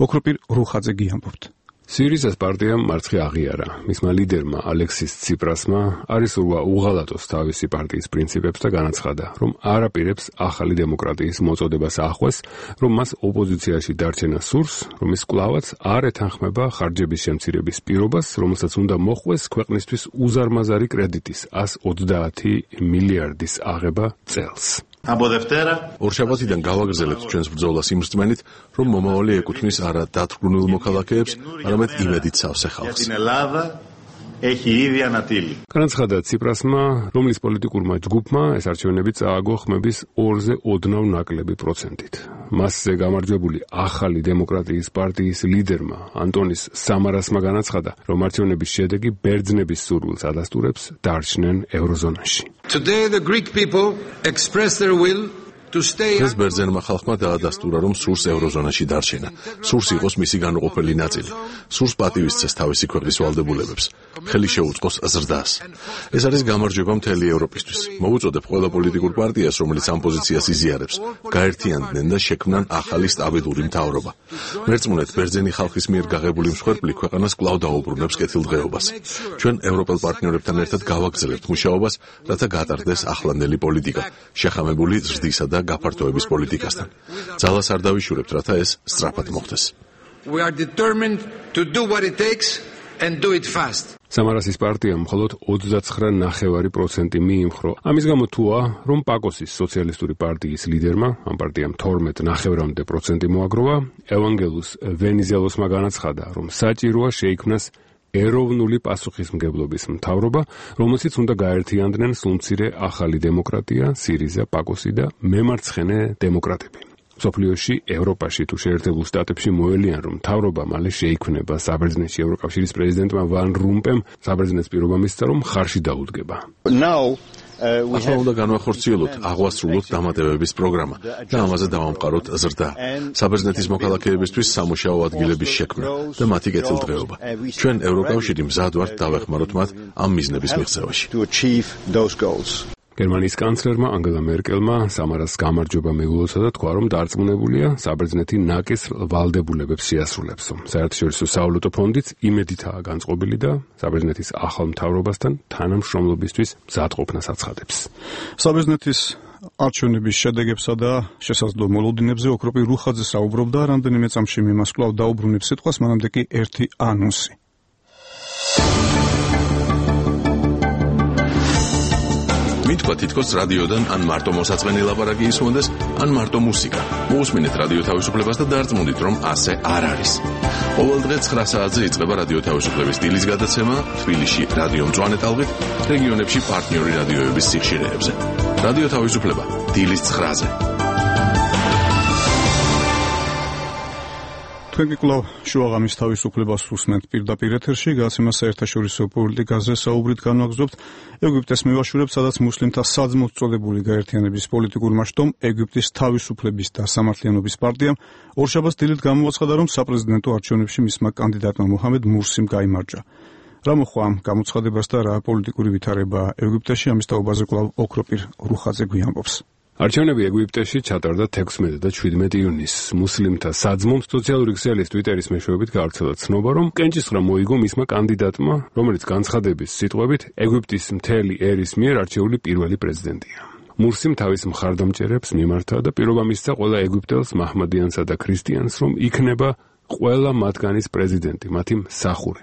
ოქროპირ რუხაძე გიამბობთ. სირიზას პარტიამ მარცხი აღიარა. მისმა ლიდერმა ალექსის ციპრასმა არის სურვა უღალატოს თავისი პარტიის პრინციპებს და განაცხადა, რომ არ აპირებს ახალი დემოკრატიის მოწოდებას ახვეს, რომ მას ოპოზიციაში დარჩენა სურს, რომ ის კვლავაც არ ეთანხმება ხარჯების შემცირების პირობას, რომელსაც უნდა მოხვეს ქვეყნისთვის უზარმაზარი კრედიტის 130 მილიარდის აღება წელს. ორშაბათიდან გავაგრძელებთ ჩვენს ბრძოლას იმ რწმენით, რომ მომავალი ეკუთვნის არა დათრგუნულ მოქალაქეებს, არამედ იმედით სავსე ხალხს. განაცხადა ციპრასმა, რომლის პოლიტიკურმა ჯგუფმა ეს არჩევნები წააგო ხმების 2-ზე ოდნავ ნაკლები პროცენტით. მასზე გამარჯვებული ახალი დემოკრატიის პარტიის ლიდერმა ანტონის სამარასმა განაცხადა, რომ არჩევნების შედეგი ბერძნების სურვილს ადასტურებს დარჩნენ ევროზონაში. Today the Greek people express their will ეს ბერძენმა ხალხმა დაადასტურა, რომ სურს ევროზონაში დარჩენა, სურს იყოს მისი განუყოფელი ნაწილი, სურს პატივისცეს თავისი ქვეყნის ვალდებულებებს, ხელი შეუწყოს ზრდას. ეს არის გამარჯვება მთელი ევროპისთვის. მოუწოდებ ყველა პოლიტიკურ პარტიას, რომელიც ამ პოზიციას იზიარებს, გაერთიანდნენ და შექმნან ახალი სტაბილური მთავრობა. მერწმუნეთ, ბერძენი ხალხის მიერ გაღებული მსხვერპლი ქვეყანას კვლავ დაუბრუნებს კეთილდღეობას. ჩვენ ევროპელ პარტნიორებთან ერთად გავაგრძელებთ მუშაობას, რათა გატარდეს ახლანდელი პოლიტიკა, შეხამებული ზრდისა და გაფართოების პოლიტიკასთან. ძალას არ დავიშურებთ, რათა ეს სწრაფად მოხდეს. We are determined to do what it takes and do it fast. სამარასის პარტიამ მხოლოდ 29.9% მიიმხრო. ამის გამო თუა, რომ პაკოსის სოციალისტური პარტიის ლიდერმა, ამ პარტიამ 12.9% მოაგროვა, ევანგელუს ვენიზელოსმა განაცხადა, რომ საჭიროა შეიქმნას ეროვნული პასუხისმგებლობის მთავრობა, რომელშიც უნდა გაერთიანდნენ სრულმცირე ახალი დემოკრატია, სირიზა, პაკოსი და მემარცხენე დემოკრატები. მსოფლიოში, ევროპაში თუ შეერთებულ შტატებში მოელიან, რომ მთავრობა მალე შეიქმნება. საბერძნეთში ევროკავშირის პრეზიდენტმა ვან რომპემ საბერძნეთს პირობა მისცა, რომ ხარში დაუდგება. ახლა უნდა განვახორციელოთ, აღვასრულოთ დამატებების პროგრამა და ამაზე დავამყაროთ ზრდა. საბერძნეთის მოქალაქეებისთვის სამუშაო ადგილების შექმნა და მათი კეთილდღეობა. ჩვენ ევროკავშირი მზად ვართ დავეხმაროთ მათ ამ მიზნების მიღწევაში. გერმანიის კანცლერმა ანგელა მერკელმა სამარას გამარჯვება მიულოცა და თქვა, რომ დარწმუნებულია საბერძნეთი ნაკისრ ვალდებულებებს შეასრულებს. საერთაშორისო სავალუტო ფონდიც იმედითაა განწყობილი და საბერძნეთის ახალ მთავრობასთან თანამშრომლობისთვის მზადყოფნას აცხადებს. საბერძნეთის არჩევნების შედეგებსა და შესაძლო მოლოდინებზე ოქროპირ რუხაძე საუბრობდა, რამდენიმე წამში იმას კვლავ დაუბრუნებს სიტყვას, მანამდე კი ერთი ანონსი. მითქვა თითქოს რადიოდან ან მარტო მოსაწყენი ლაპარაკი ისმონდეს, ან მარტო მუსიკა. მოусმინეთ რადიო თავისუფლებას და დარწმუნდით, რომ ასე არ არის. ყოველ დღე 9 საათზე იწყება რადიო თავისუფლების დილის გადაცემა თბილისში რადიო მწვანე ტალღით, რეგიონებში პარტნიორი რადიოების სიხშირეებზე. რადიო თავისუფლება დილის 9-ზე. თქვენ კვლავ შუაღამის თავისუფლებას უსმენთ პირდაპირ ეთერში, გადაცემა საერთაშორისო პოლიტიკაზე საუბრით განვაგრძობთ. ეგვიპტეს მივაშურებთ, სადაც მუსლიმთა საძმოს წოდებული გაერთიანების პოლიტიკურმა შტომ ეგვიპტის თავისუფლების და სამართლიანობის პარტიამ ორშაბათს დილით გამოაცხადა, რომ საპრეზიდენტო არჩევნებში მისმა კანდიდატმა მოჰამედ მურსიმ გაიმარჯვა. რა მოხდა ამ გამოცხადებას და რა პოლიტიკური ვითარება ეგვიპტეში, ამის თაობაზე კვლავ ოქროპირ რუხაძე გვიამბობს. არჩევნები ეგვიპტეში ჩატარდა 16 და 17 ივნისს. მუსლიმთა საძმომ სოციალური ქსელის ტვიტერის მეშვეობით გავრცელა ცნობა, რომ კენჭისყრა მოიგო მისმა კანდიდატმა, რომელიც განცხადების სიტყვებით ეგვიპტის მთელი ერის მიერ არჩეული პირველი პრეზიდენტია. მურსიმ თავის მხარდამჭერებს მიმართა და პირობა მისცა ყველა ეგვიპტელს, მაჰმადიანსა და ქრისტიანს, რომ იქნება ყველა მათგანის პრეზიდენტი, მათი მსახური.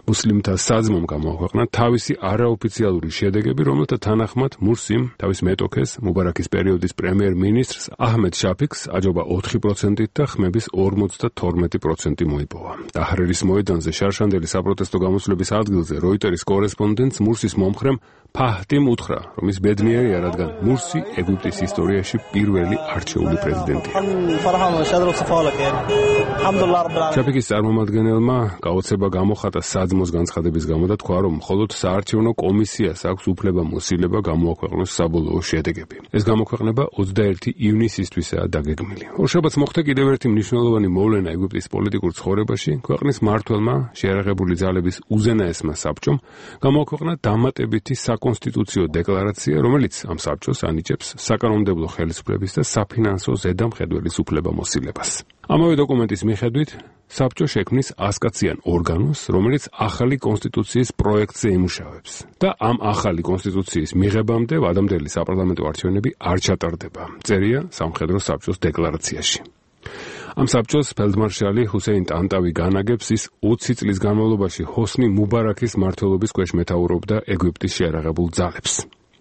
მუსლიმთა საძმომ გამოაქვეყნა თავისი არაოფიციალური შედეგები, რომელთა თანახმად მურსიმ თავის მეტოქეს, მუბარაქის პერიოდის პრემიერ-მინისტრს აჰმედ შაფიქს აჯობა 4%-ით და ხმების 52% მოიპოვა. დაჰრერის მოედანზე შარშანდელი საპროტესტო გამოსვლების ადგილზე როიტერის კორესპონდენტს მურსის მომხრემ ფაჰტიმ უთხრა, რომ ის ბედნიერია, რადგან მურსი ეგვიპტის ისტორიაში პირველი არჩეული პრეზიდენტია. შაფიქის წარმომადგენელმა გაოცება გამოხატა საძმოს განცხადების გამო და თქვა, რომ მხოლოდ საარჩევნო კომისიას აქვს უფლება-მოსილება გამოაქვეყნოს საბოლოო შედეგები. ეს გამოქვეყნება 21 ივნისისთვისაა დაგეგმილი. ორშაბათს მოხდა კიდევ ერთი მნიშვნელოვანი მოვლენა ეგვიპტის პოლიტიკურ ცხოვრებაში. ქვეყნის მმართველმა, შეიარაღებული ძალების უზენაესმა საბჭომ გამოაქვეყნა დამატებითი საკონსტიტუციო დეკლარაცია, რომელიც ამ საბჭოს ანიჭებს საკანონმდებლო ხელისუფლების და საფინანსო ზედამხედველის უფლება-მოსილებას. ამავე დოკუმენტის მიხედვით საბჭო შექმნის 100-კაციან ორგანოს, რომელიც ახალი კონსტიტუციის პროექტზე იმუშავებს და ამ ახალი კონსტიტუციის მიღებამდე ვადამდელი საპარლამენტო არჩევნები არ ჩატარდება. წერია სამხედრო საბჭოს დეკლარაციაში. ამ საბჭოს ფელდმარშალი ჰუსეინ ტანტავი განაგებს, ის 20 წლის განმავლობაში ჰოსნი მუბარაქის მმართველობის ქვეშ მეთაურობდა ეგვიპტის შეიარაღებულ ძალებს.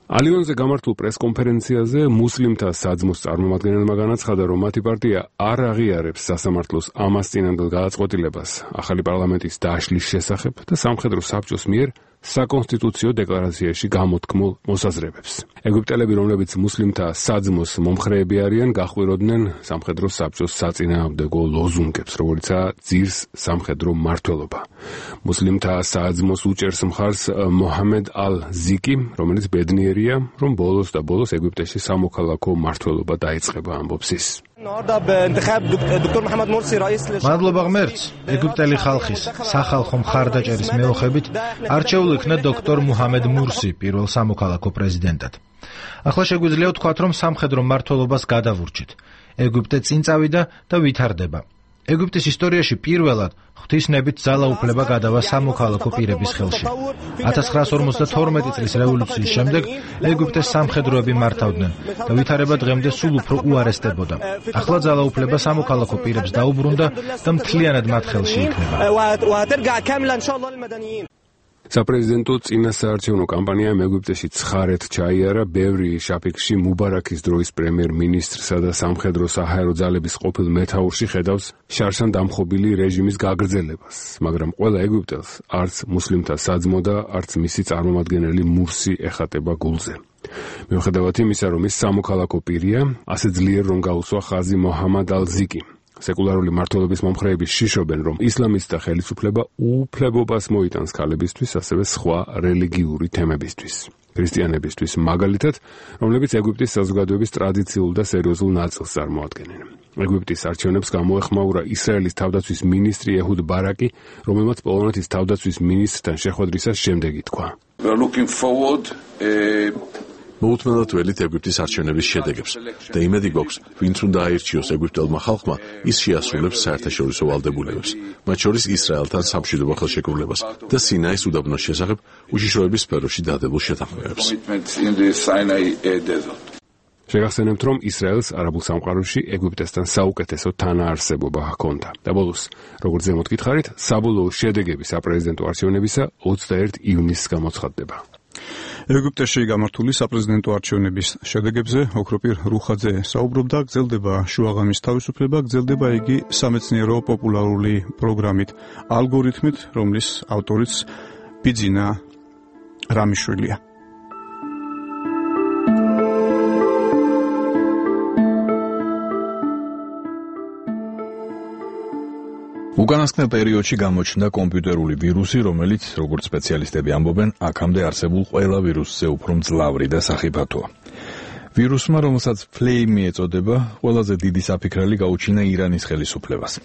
ალიონზე გამართულ პრესკონფერენციაზე მუსლიმთა საძმოს წარმომადგენელმა განაცხადა, რომ მათი პარტია არ აღიარებს სასამართლოს ამას წინანდელ გადაწყვეტილებას ახალი პარლამენტის დაშლის შესახებ და სამხედრო საბჭოს მიერ საკონსტიტუციო დეკლარაციაში გამოთქმულ მოსაზრებებს. ეგვიპტელები, რომლებიც მუსლიმთა საძმოს მომხრეები არიან, გახვიროდნენ სამხედრო საბჭოს საწინააღმდეგო ლოზუნგებს, როგორიცაა ძირს სამხედრო მმართველობა. მუსლიმთა საძმოს უჭერს მხარს მოჰამედ ალ-ზიკი, რომელიც ბედნიერია, რომ ბოლოს და ბოლოს ეგვიპტეში სამოქალაქო მმართველობა დაიწყება, ამბობს ის. მადლობა ღმერთს, ეგვიპტელი ხალხის სახალხო მხარდაჭერის მეოხებით არჩეულ იქნა დოქტორ მუჰამედ მურსი პირველ სამოქალაქო პრეზიდენტად. ახლა შეგვიძლია ვთქვათ, რომ სამხედრო მმართველობას გადავურჩით. ეგვიპტე წინ წავიდა და ვითარდება. ეგვიპტის ისტორიაში პირველად ღვთისნებით ძალაუფლება გადავა სამოქალაქო პირების ხელში. 1952 წლის რევოლუციის შემდეგ ეგვიპტეს სამხედროები მართავდნენ და ვითარება დღემდე სულ უფრო უარესდებოდა. ახლა ძალაუფლება სამოქალაქო პირებს დაუბრუნდა და მთლიანად მათ ხელში იქნება. საპრეზიდენტო წინასაარჩევნო კამპანიამ ეგვიპტეში ცხარეთ ჩაიარა ბევრი შაფიქში მუბარაქის დროის პრემიერ-მინისტრსა და სამხედრო საჰაერო ძალების ყოფილ მეთაურში ხედავს შარშან დამხობილი რეჟიმის გაგრძელებას, მაგრამ ყველა ეგვიპტელს არც მუსლიმთა საძმო და არც მისი წარმომადგენელი მურსი ეხატება გულზე. მიუხედავად იმისა, რომ ის სამოქალაქო პირია, ასე ძლიერ რომ გაუსვა ხაზი მოჰამად ალ-ზიკი. სეკულარული მმართველობის მომხრეები შიშობენ, რომ ისლამისტთა ხელისუფლება უფლებობას მოიტანს ქალებისთვის, ასევე სხვა რელიგიური თემებისთვის. ქრისტიანებისთვის მაგალითად, რომლებიც ეგვიპტის საზოგადოების ტრადიციულ და სერიოზულ ნაწილს წარმოადგენენ. ეგვიპტის არჩევნებს გამოეხმაურა ისრაელის თავდაცვის მინისტრი ეჰუდ ბარაკი, რომელმაც პოლონეთის თავდაცვის მინისტრთან შეხვედრისას შემდეგ ითქვა. მოუთმენლად ველით ეგვიპტის არჩევნების შედეგებს და იმედი გვაქვს, ვინც უნდა აირჩიოს ეგვიპტელმა ხალხმა, ის შეასრულებს საერთაშორისო ვალდებულებებს, მათ შორის ისრაელთან სამშვიდობო ხელშეკრულებას და სინაის უდაბნოს შესახებ უშიშროების სფეროში დადებულ შეთანხმებებს. შეგახსენებთ, რომ ისრაელს არაბულ სამყაროში ეგვიპტესთან საუკეთესო თანაარსებობა ჰქონდა. და ბოლოს, როგორც ზემოთ გითხარით, საბოლოო შედეგები საპრეზიდენტო არჩევნებისა 21 ივნისს გამოცხადდება. ეგვიპტეში გამართული საპრეზიდენტო არჩევნების შედეგებზე ოქროპირ რუხაძე საუბრობდა, გრძელდება შუაღამის თავისუფლება, გრძელდება იგი სამეცნიერო პოპულარული პროგრამით, ალგორითმით, რომლის ავტორიც ბიძინა რამიშვილია. უკანასკნელ პერიოდში გამოჩნდა კომპიუტერული ვირუსი, რომელიც, როგორც სპეციალისტები ამბობენ, აქამდე არსებულ ყველა ვირუსზე უფრო მძლავრი და სახიფათოა. ვირუსმა, რომელსაც Flame ეწოდება, ყველაზე დიდი საფიქრელი გაუჩინა ირანის ხელისუფლებას.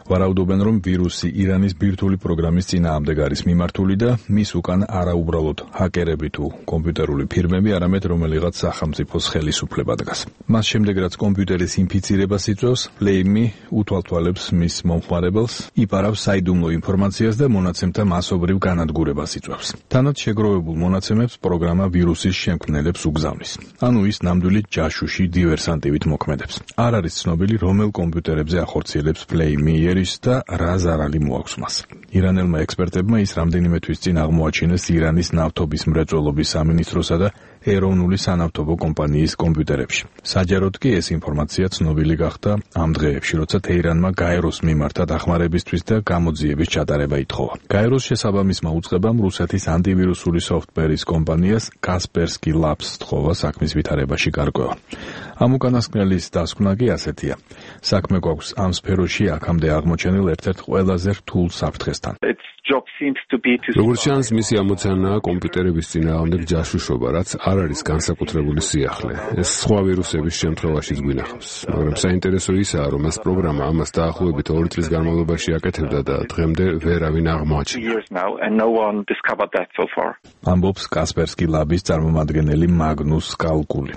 ვარაუდობენ, რომ ვირუსი ირანის ბირთვული პროგრამის წინააღმდეგ არის მიმართული და მის უკან არა უბრალოდ ჰაკერები თუ კომპიუტერული ფირმები, არამედ რომელიღაც სახელმწიფოს ხელისუფლება დგას. მას შემდეგ, რაც კომპიუტერის ინფიცირებას იწვევს, Flame უთვალთვალებს მის მომხმარებელს, იპარავს საიდუმლო ინფორმაციას და მონაცემთა მასობრივ განადგურებას იწვევს. თანაც შეგროვებულ მონაცემებს პროგრამა ვირუსის შემქმნელებს უგზავნის. ანუ ის ნამდვილი ჯაშუში დივერსანტივით მოქმედებს. არ არის ცნობილი, რომელ კომპიუტერებზე ახორციელებს Flame და რა ზარალი მოაქვს მას. ირანელმა ექსპერტებმა ის რამდენიმე თვის წინ აღმოაჩინეს ირანის ნავთობის მრეწველობის სამინისტროსა და ეროვნული სანავთობო კომპანიის კომპიუტერებში. საჯაროდ კი ეს ინფორმაცია ცნობილი გახდა ამ დღეებში, როცა თეირანმა გაეროს მიმართა დახმარებისთვის და გამოძიების ჩატარება ითხოვა. გაეროს შესაბამისმა უწყებამ რუსეთის ანტივირუსული სოფტვერის კომპანიას Kaspersky Labs თხოვა საქმის ვითარებაში გარკვევა. ამ უკანასკნელის დასკვნა კი ასეთია. საქმე გვაქვს ამ სფეროში აქამდე აღმოჩენილ ერთ-ერთ ყველაზე რთულ საფრთხესთან. როგორც ჩანს, მისი ამოცანაა კომპიუტერების წინააღმდეგ ჯაშუშობა, რაც არ არის განსაკუთრებული სიახლე. ეს სხვა ვირუსების შემთხვევაშიც გვინახავს. მაგრამ საინტერესო ისაა, რომ ეს პროგრამა ამას დაახლოებით 2 წლის განმავლობაში აკეთებდა და დღემდე ვერავინ აღმოაჩინა. ამბობს Kaspersky Labs-ის წარმომადგენელი მაგნუს კალკული.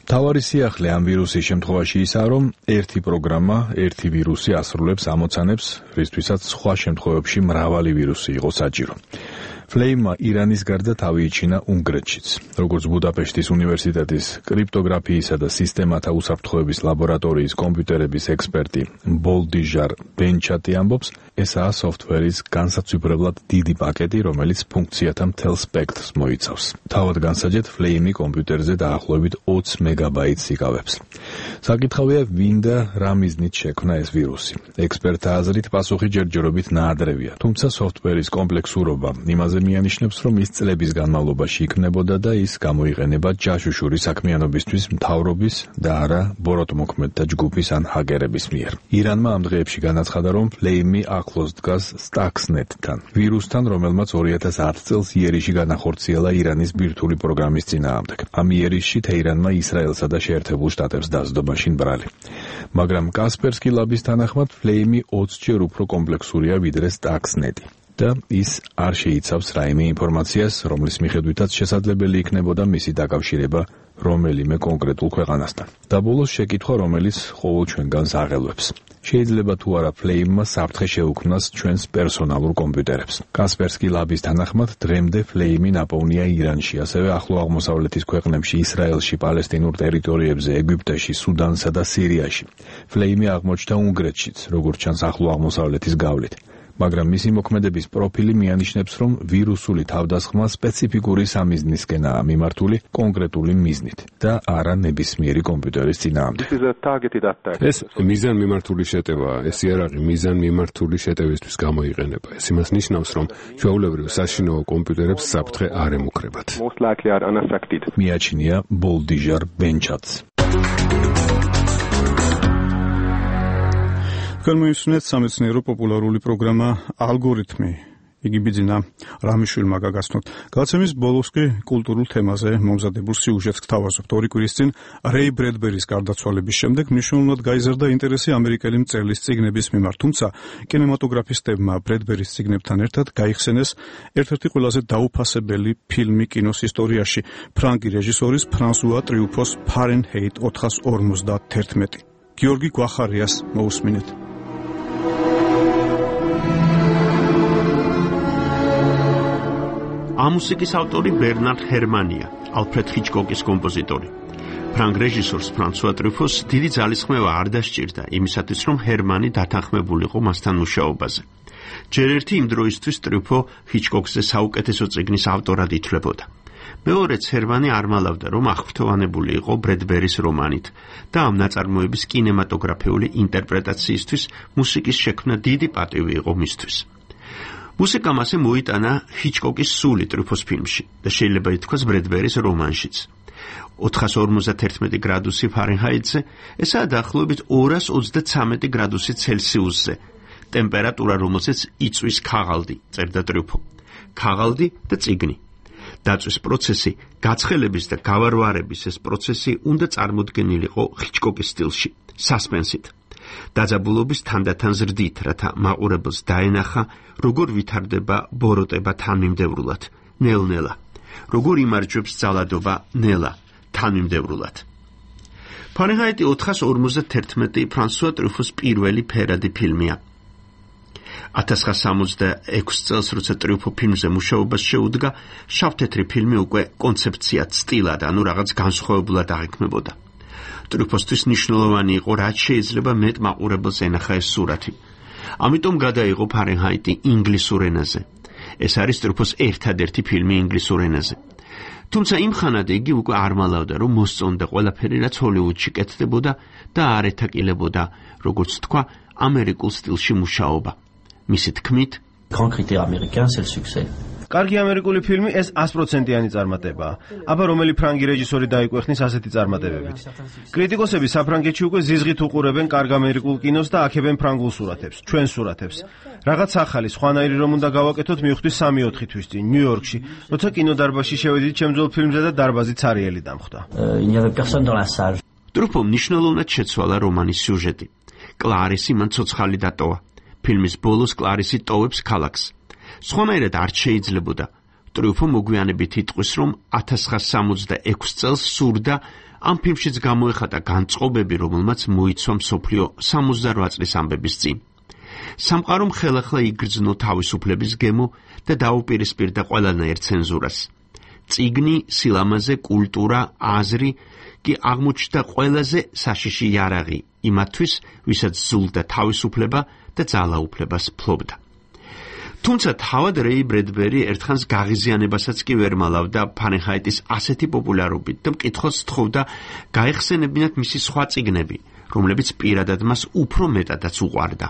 თავარი სიახლე ამ ვირუსის შემთხვევაში ისაა, რომ ერთი პროგრამა, ერთი ვირუსი ასრულებს ამოცანებს, რისთვისაც სხვა შემთხვევებში მრავალი ვირუსი იყო საჭირო. Flame ირანის გარდა თავი იჩინა უნგრეთშიც. როგორც ბუდაპეშტის უნივერსიტეტის კრიპტოგრაფიისა და სისტემათა უსაფრთხოების ლაბორატორიის კომპიუტერების ექსპერტი ბოლდიჟარ ბენჩატი ამბობს, ესაა სოფტვერის განსაცვიფრებლად დიდი პაკეტი, რომელიც ფუნქციათა მთელ სპექტრს მოიცავს. თავად განსაჯეთ, Flame კომპიუტერზე დაახლოებით 20 მეგაბაიტს იკავებს. საკითხავია, ვინ და რა მიზნით შექმნა ეს ვირუსი. ექსპერტთა აზრით, პასუხი ჯერჯერობით ნაადრევია, თუმცა სოფტვერის კომპლექსურობა იმაზე მიანიშნებს, რომ ის წლების განმავლობაში იქმნებოდა და ის გამოიყენება ჯაშუშური საქმიანობისთვის მთავრობის და არა ბოროტმოქმედთა ჯგუფის ან ჰაკერების მიერ. ირანმა ამ დღეებში განაცხადა, რომ Flame ახლოს დგას Stuxnet-თან, ვირუსთან, რომელმაც 2010 წელს იერიში განახორციელა ირანის ბირთვული პროგრამის წინააღმდეგ. ამ იერიში თეირანმა ისრაელსა და შეერთებულ შტატებს დასდო მაშინ ბრალი. მაგრამ Kaspersky Labs-ის თანახმად Flame 20-ჯერ უფრო კომპლექსურია ვიდრე Stuxnet-ი. და ის არ შეიცავს რაიმე ინფორმაციას, რომლის მიხედვითაც შესაძლებელი იქნებოდა მისი დაკავშირება რომელიმე კონკრეტულ ქვეყანასთან. და ბოლოს შეკითხვა, რომელიც ყოველ ჩვენგანს აღელვებს. შეიძლება თუ არა Flame-მა საფრთხე შეუქმნას ჩვენს პერსონალურ კომპიუტერებს. Kaspersky Labs-ის თანახმად, დღემდე Flame ნაპოვნია ირანში, ასევე ახლო აღმოსავლეთის ქვეყნებში, ისრაელში, პალესტინურ ტერიტორიებზე, ეგვიპტეში, სუდანსა და სირიაში. Flame აღმოჩნდა უნგრეთშიც, როგორც ჩანს ახლო აღმოსავლეთის გავლით. მაგრამ მისი მოქმედების პროფილი მიანიშნებს, რომ ვირუსული თავდასხმა სპეციფიკური სამიზნისკენაა მიმართული კონკრეტული მიზნით და არა ნებისმიერი კომპიუტერის წინააღმდეგ. ეს მიზანმიმართული შეტევაა, ეს იარაღი მიზანმიმართული შეტევისთვის გამოიყენება. ეს იმას ნიშნავს, რომ ჩვეულებრივ საშინაო კომპიუტერებს საფრთხე არ ემუქრებათ. მიაჩნია ბოლდიჟარ ბენჩატს. გამოისმენთ სამეცნიერო პოპულარული პროგრამა ალგორითმი. იგი ბიძინა რამიშვილმა გაგაცნოთ. გადაცემის ბოლოს კი კულტურულ თემაზე მომზადებულ სიუჟეტს გთავაზობთ. 2 კვირის წინ რეი ბრედბერის გარდაცვალების შემდეგ მნიშვნელოვნად გაიზარდა ინტერესი ამერიკელი მწერლის წიგნების მიმართ, თუმცა კინემატოგრაფისტებმა ბრედბერის წიგნებთან ერთად გაიხსენეს ერთ-ერთი ყველაზე დაუფასებელი ფილმი კინოს ისტორიაში, ფრანგი რეჟისორის ფრანსუა ტრიუფოს ფარენჰეიტ 451. გიორგი გვახარიას მოусმინეთ. ამ მუსიკის ავტორი ბერნარდ ჰერმანია, ალფრედ ჰიჩკოკის კომპოზიტორი. ფრანგ რეჟისორს ფრანსუა ტრიფოს დიდი ძალისხმევა არ დასჭირდა იმისათვის, რომ ჰერმანი დათანხმებულიყო მასთან მუშაობაზე. ჯერ ერთი იმ დროისთვის ტრიფო ჰიჩკოკზე საუკეთესო წიგნის ავტორად ითვლებოდა. მეორეც ჰერმანი არ მალავდა, რომ აღფრთოვანებული იყო ბრედბერის რომანით და ამ ნაწარმოების კინემატოგრაფიული ინტერპრეტაციისთვის მუსიკის შექმნა დიდი პატივი იყო მისთვის. მუსიკამ ასე მოიტანა ჰიჩკოკის სული ტრუფოს ფილმში და შეიძლება ითქვას ბრედბერის რომანშიც. 451 გრადუსი ფარენჰაიტზე, ესაა დაახლოებით 233 გრადუსი ცელსიუსზე. ტემპერატურა, რომელზეც იწვის ქაღალდი, წერდა ტრუფო. ქაღალდი და წიგნი. დაწვის პროცესი, გაცხელების და გავარვარების ეს პროცესი უნდა წარმოდგენილიყო ჰიჩკოკის სტილში, სასპენსით. დაძაბულობის თანდათან ზრდით, რათა მაყურებელს დაენახა, როგორ ვითარდება ბოროტება თანმიმდევრულად, ნელ-ნელა. როგორ იმარჯვებს ძალადობა ნელა, თანმიმდევრულად. ფარენჰაიტი 451 ფრანსუა ტრუფოს პირველი ფერადი ფილმია. 1966 წელს, როცა ტრუფო ფილმზე მუშაობას შეუდგა, შავ-თეთრი ფილმი უკვე კონცეფციად, სტილად, ანუ რაღაც განსხვავებულად აღიქმებოდა. ტრუფოსთვის მნიშვნელოვანი იყო, რაც შეიძლება მეტ მაყურებელს ენახა ეს სურათი. ამიტომ გადაიღო ფარენჰაიტი ინგლისურ ენაზე. ეს არის ტრუფოს ერთადერთი ფილმი ინგლისურ ენაზე. თუმცა იმ ხანად იგი უკვე არ მალავდა, რომ მოსწონდა ყველაფერი, რაც ჰოლივუდში კეთდებოდა და არ ეთაკილებოდა, როგორც თქვა, ამერიკულ სტილში მუშაობა. მისი თქმით, Grand critère américain, c'est le succès. კარგი ამერიკული ფილმი ეს 100%-იანი წარმატებაა. აბა რომელი ფრანგი რეჟისორი დაიკვეხნის ასეთი წარმატებებით. კრიტიკოსები საფრანგეთში უკვე ზიზღით უყურებენ კარგ ამერიკულ კინოს და აქებენ ფრანგულ სურათებს, ჩვენ სურათებს. რაღაც ახალი, სხვანაირი რომ უნდა გავაკეთოთ, მივხვდი 3-4 თვის წინ ნიუ-იორკში, როცა კინოდარბაზში შევედით ჩემძველ ფილმზე და დარბაზი ცარიელი დამხვდა. Il n'y avait personne dans la salle. ტრუფომ მნიშვნელოვნად შეცვალა რომანის სიუჟეტი. კლარისი მან ცოცხალი დატოვა. ფილმის ბოლოს კლარისი ტოვებს ქალაქს. სხვანაირად არ შეიძლებოდა. ტრუფო მოგვიანებით იტყვის, რომ 1966 წელს სურდა ამ ფილმშიც გამოეხატა განწყობები, რომელმაც მოიცვა მსოფლიო 68 წლის ამბების წინ. სამყარომ ხელახლა იგრძნო თავისუფლების გემო და დაუპირისპირდა ყველანაირ ცენზურას. წიგნი, სილამაზე, კულტურა, აზრი კი აღმოჩნდა ყველაზე საშიში იარაღი იმათთვის, ვისაც ზულდა თავისუფლება და ძალაუფლებას ფლობდა. თუმცა თავად რეი ბრედბერი ერთხანს გაღიზიანებასაც კი ვერ მალავდა ფარენჰაიტის ასეთი პოპულარობით და მკითხველს თხოვდა გაეხსენებინათ მისი სხვა წიგნები, რომლებიც პირადად მას უფრო მეტადაც უყვარდა.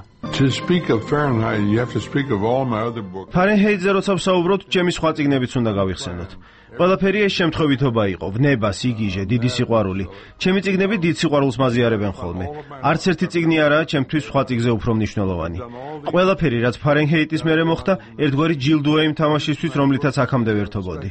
ფარენჰაიტზე როცა ვსაუბრობთ, ჩემი სხვა წიგნებიც უნდა გავიხსენოთ. ყველაფერი ეს შემთხვევითობა იყო, ვნება, სიგიჟე, დიდი სიყვარული. ჩემი წიგნები დიდ სიყვარულს მაზიარებენ ხოლმე. არც ერთი წიგნი არაა ჩემთვის სხვა წიგნზე უფრო მნიშვნელოვანი. ყველაფერი, რაც ფარენჰაიტის მერე მოხდა, ერთგვარი ჯილდოა იმ თამაშისთვის, რომლითაც აქამდე ვერთობოდი.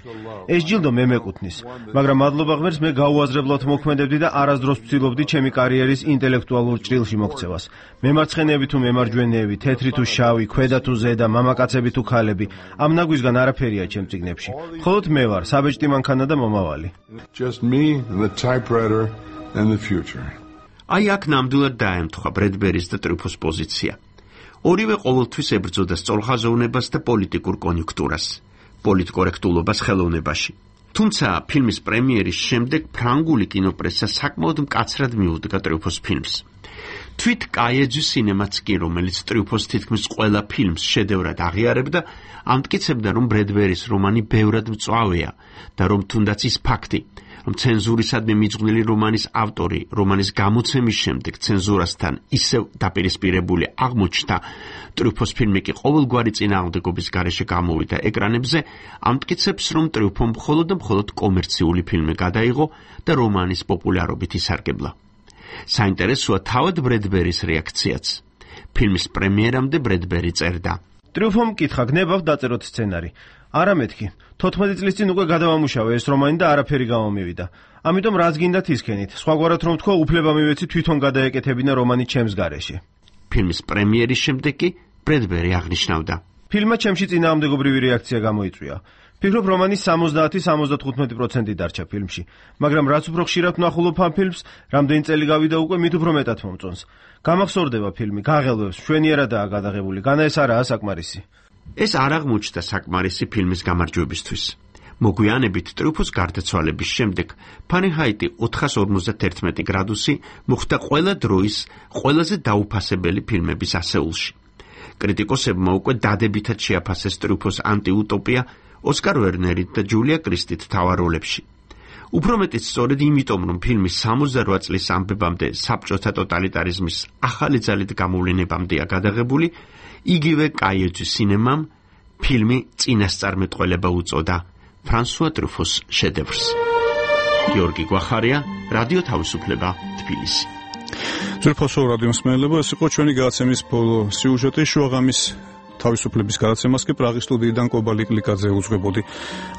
ეს ჯილდო მე მეკუთვნის, მაგრამ მადლობა ღმერთს მე გაუაზრებლად მოქმედებდი და არასდროს ვცდილობდი ჩემი კარიერის ინტელექტუალურ ჭრილში მოქცევას. მემარცხენეები თუ მემარჯვენეები, თეთრი თუ შავი, ქვედა თუ ზედა, მამაკაცები თუ ქალები, ამ ნაგვისგან არაფერია ჩემ წიგნებში. მხოლოდ მე ვარ საბეჭდი მანქანა და მომავალი. Just me and the typewriter and the future. აი აქ ნამდვილად დაემთხვა ბრედბერის და ტრუფოს პოზიცია. ორივე ყოველთვის ებრძოდა სწორხაზოვნებას და პოლიტიკურ კონიუნქტურას, პოლიტკორექტულობას ხელოვნებაში. თუმცა ფილმის პრემიერის შემდეგ ფრანგული კინოპრესა საკმაოდ მკაცრად მიუდგა ტრუფოს ფილმს. თვით კაიეჯი სინემაც კი, რომელიც ტრუფოს თითქმის ყველა ფილმს შედევრად აღიარებდა, ამტკიცებდა, რომ ბრედბერის რომანი ბევრად მწვავეა და რომ თუნდაც ის ფაქტი, რომ ცენზურისადმი მიძღვნილი რომანის ავტორი რომანის გამოცემის შემდეგ ცენზურასთან ისევ დაპირისპირებული აღმოჩნდა, ტრუფოს ფილმი კი ყოველგვარი წინააღმდეგობის გარეშე გამოვიდა ეკრანებზე, ამტკიცებს, რომ ტრუფომ მხოლოდ და მხოლოდ კომერციული ფილმი გადაიღო და რომანის პოპულარობით ისარგებლა. საინტერესოა თავად ბრედბერის რეაქციაც. ფილმის პრემიერამდე ბრედბერი წერდა: ტრუფომ კითხა, გნებავ დაწეროთ სცენარი. არა მეთქი. 14 წლის წინ უკვე გადავამუშავე ეს რომანი და არაფერი გამომივიდა. ამიტომ რაც გინდათ ისქენით. სხვაგვარად რომ თქვა, უფლება მივეცი თვითონ გადაეკეთებინა რომანი ჩემს გარეშე. ფილმის პრემიერის შემდეგ კი ბრედბერი აღნიშნავდა: ფილმმა ჩემში წინააღმდეგობრივი რეაქცია გამოიწვია. ფიქრობ, რომანის 70-75% დარჩა ფილმში, მაგრამ რაც უფრო ხშირად ვნახულობ ამ ფილმს, რამდენი წელი გავიდა უკვე, მით უფრო მეტად მომწონს. გამახსოვრდება ფილმი, გაღელვებს, მშვენიერადაა გადაღებული, განა ეს არაა საკმარისი. ეს არ აღმოჩნდა საკმარისი ფილმის გამარჯვებისთვის. მოგვიანებით ტრუფოს გარდაცვალების შემდეგ ფარენჰაიტი 451 გრადუსი მოხდა ყველა დროის ყველაზე დაუფასებელი ფილმების ასეულში. კრიტიკოსებმა უკვე დადებითად შეაფასეს ტრუფოს ანტიუტოპია ოსკარ ვერნერით და ჯულია კრისტით მთავარ როლებში. უფრო მეტიც სწორედ იმიტომ, რომ ფილმის 68 წლის ამბებამდე საბჭოთა ტოტალიტარიზმის ახალი ძალით გამოვლენებამდეა გადაღებული, იგივე კაიოჯის სინემამ ფილმი წინასწარმეტყველება უწოდა ფრანსუა ტრუფოს შედევრს. გიორგი გვახარია, რადიო თავისუფლება, თბილისი. ზურფასო რადიო მსმენელებო, ეს იყო ჩვენი გადაცემის ბოლო სიუჟეტი. შუაღამის თავისუფლების გადაცემას კი პრაღის სტუდიიდან კობალი კლიკაძე უძღვებოდი.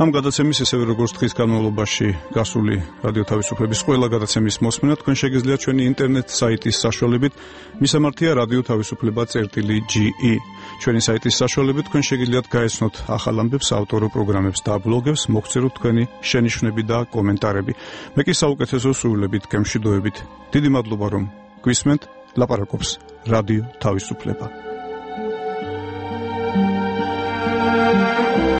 ამ გადაცემის ესევე როგორც დღის განმავლობაში გასული რადიო თავისუფლების ყველა გადაცემის მოსმენა თქვენ შეგიძლიათ ჩვენი ინტერნეტ საიტის საშუალებით, მისამართია რადიო თავისუფლება.ge. ჩვენი საიტის საშუალებით თქვენ შეგიძლიათ გაეცნოთ ახალ ამბებს, ავტორო პროგრამებს და ბლოგებს, მოგწეროთ თქვენი შენიშვნები და კომენტარები. მე კი საუკეთესო სურვილებით გემშვიდობებით. დიდი მადლობა რომ გვისმენთ. ლაპარაკობს რადიო თავისუფლება.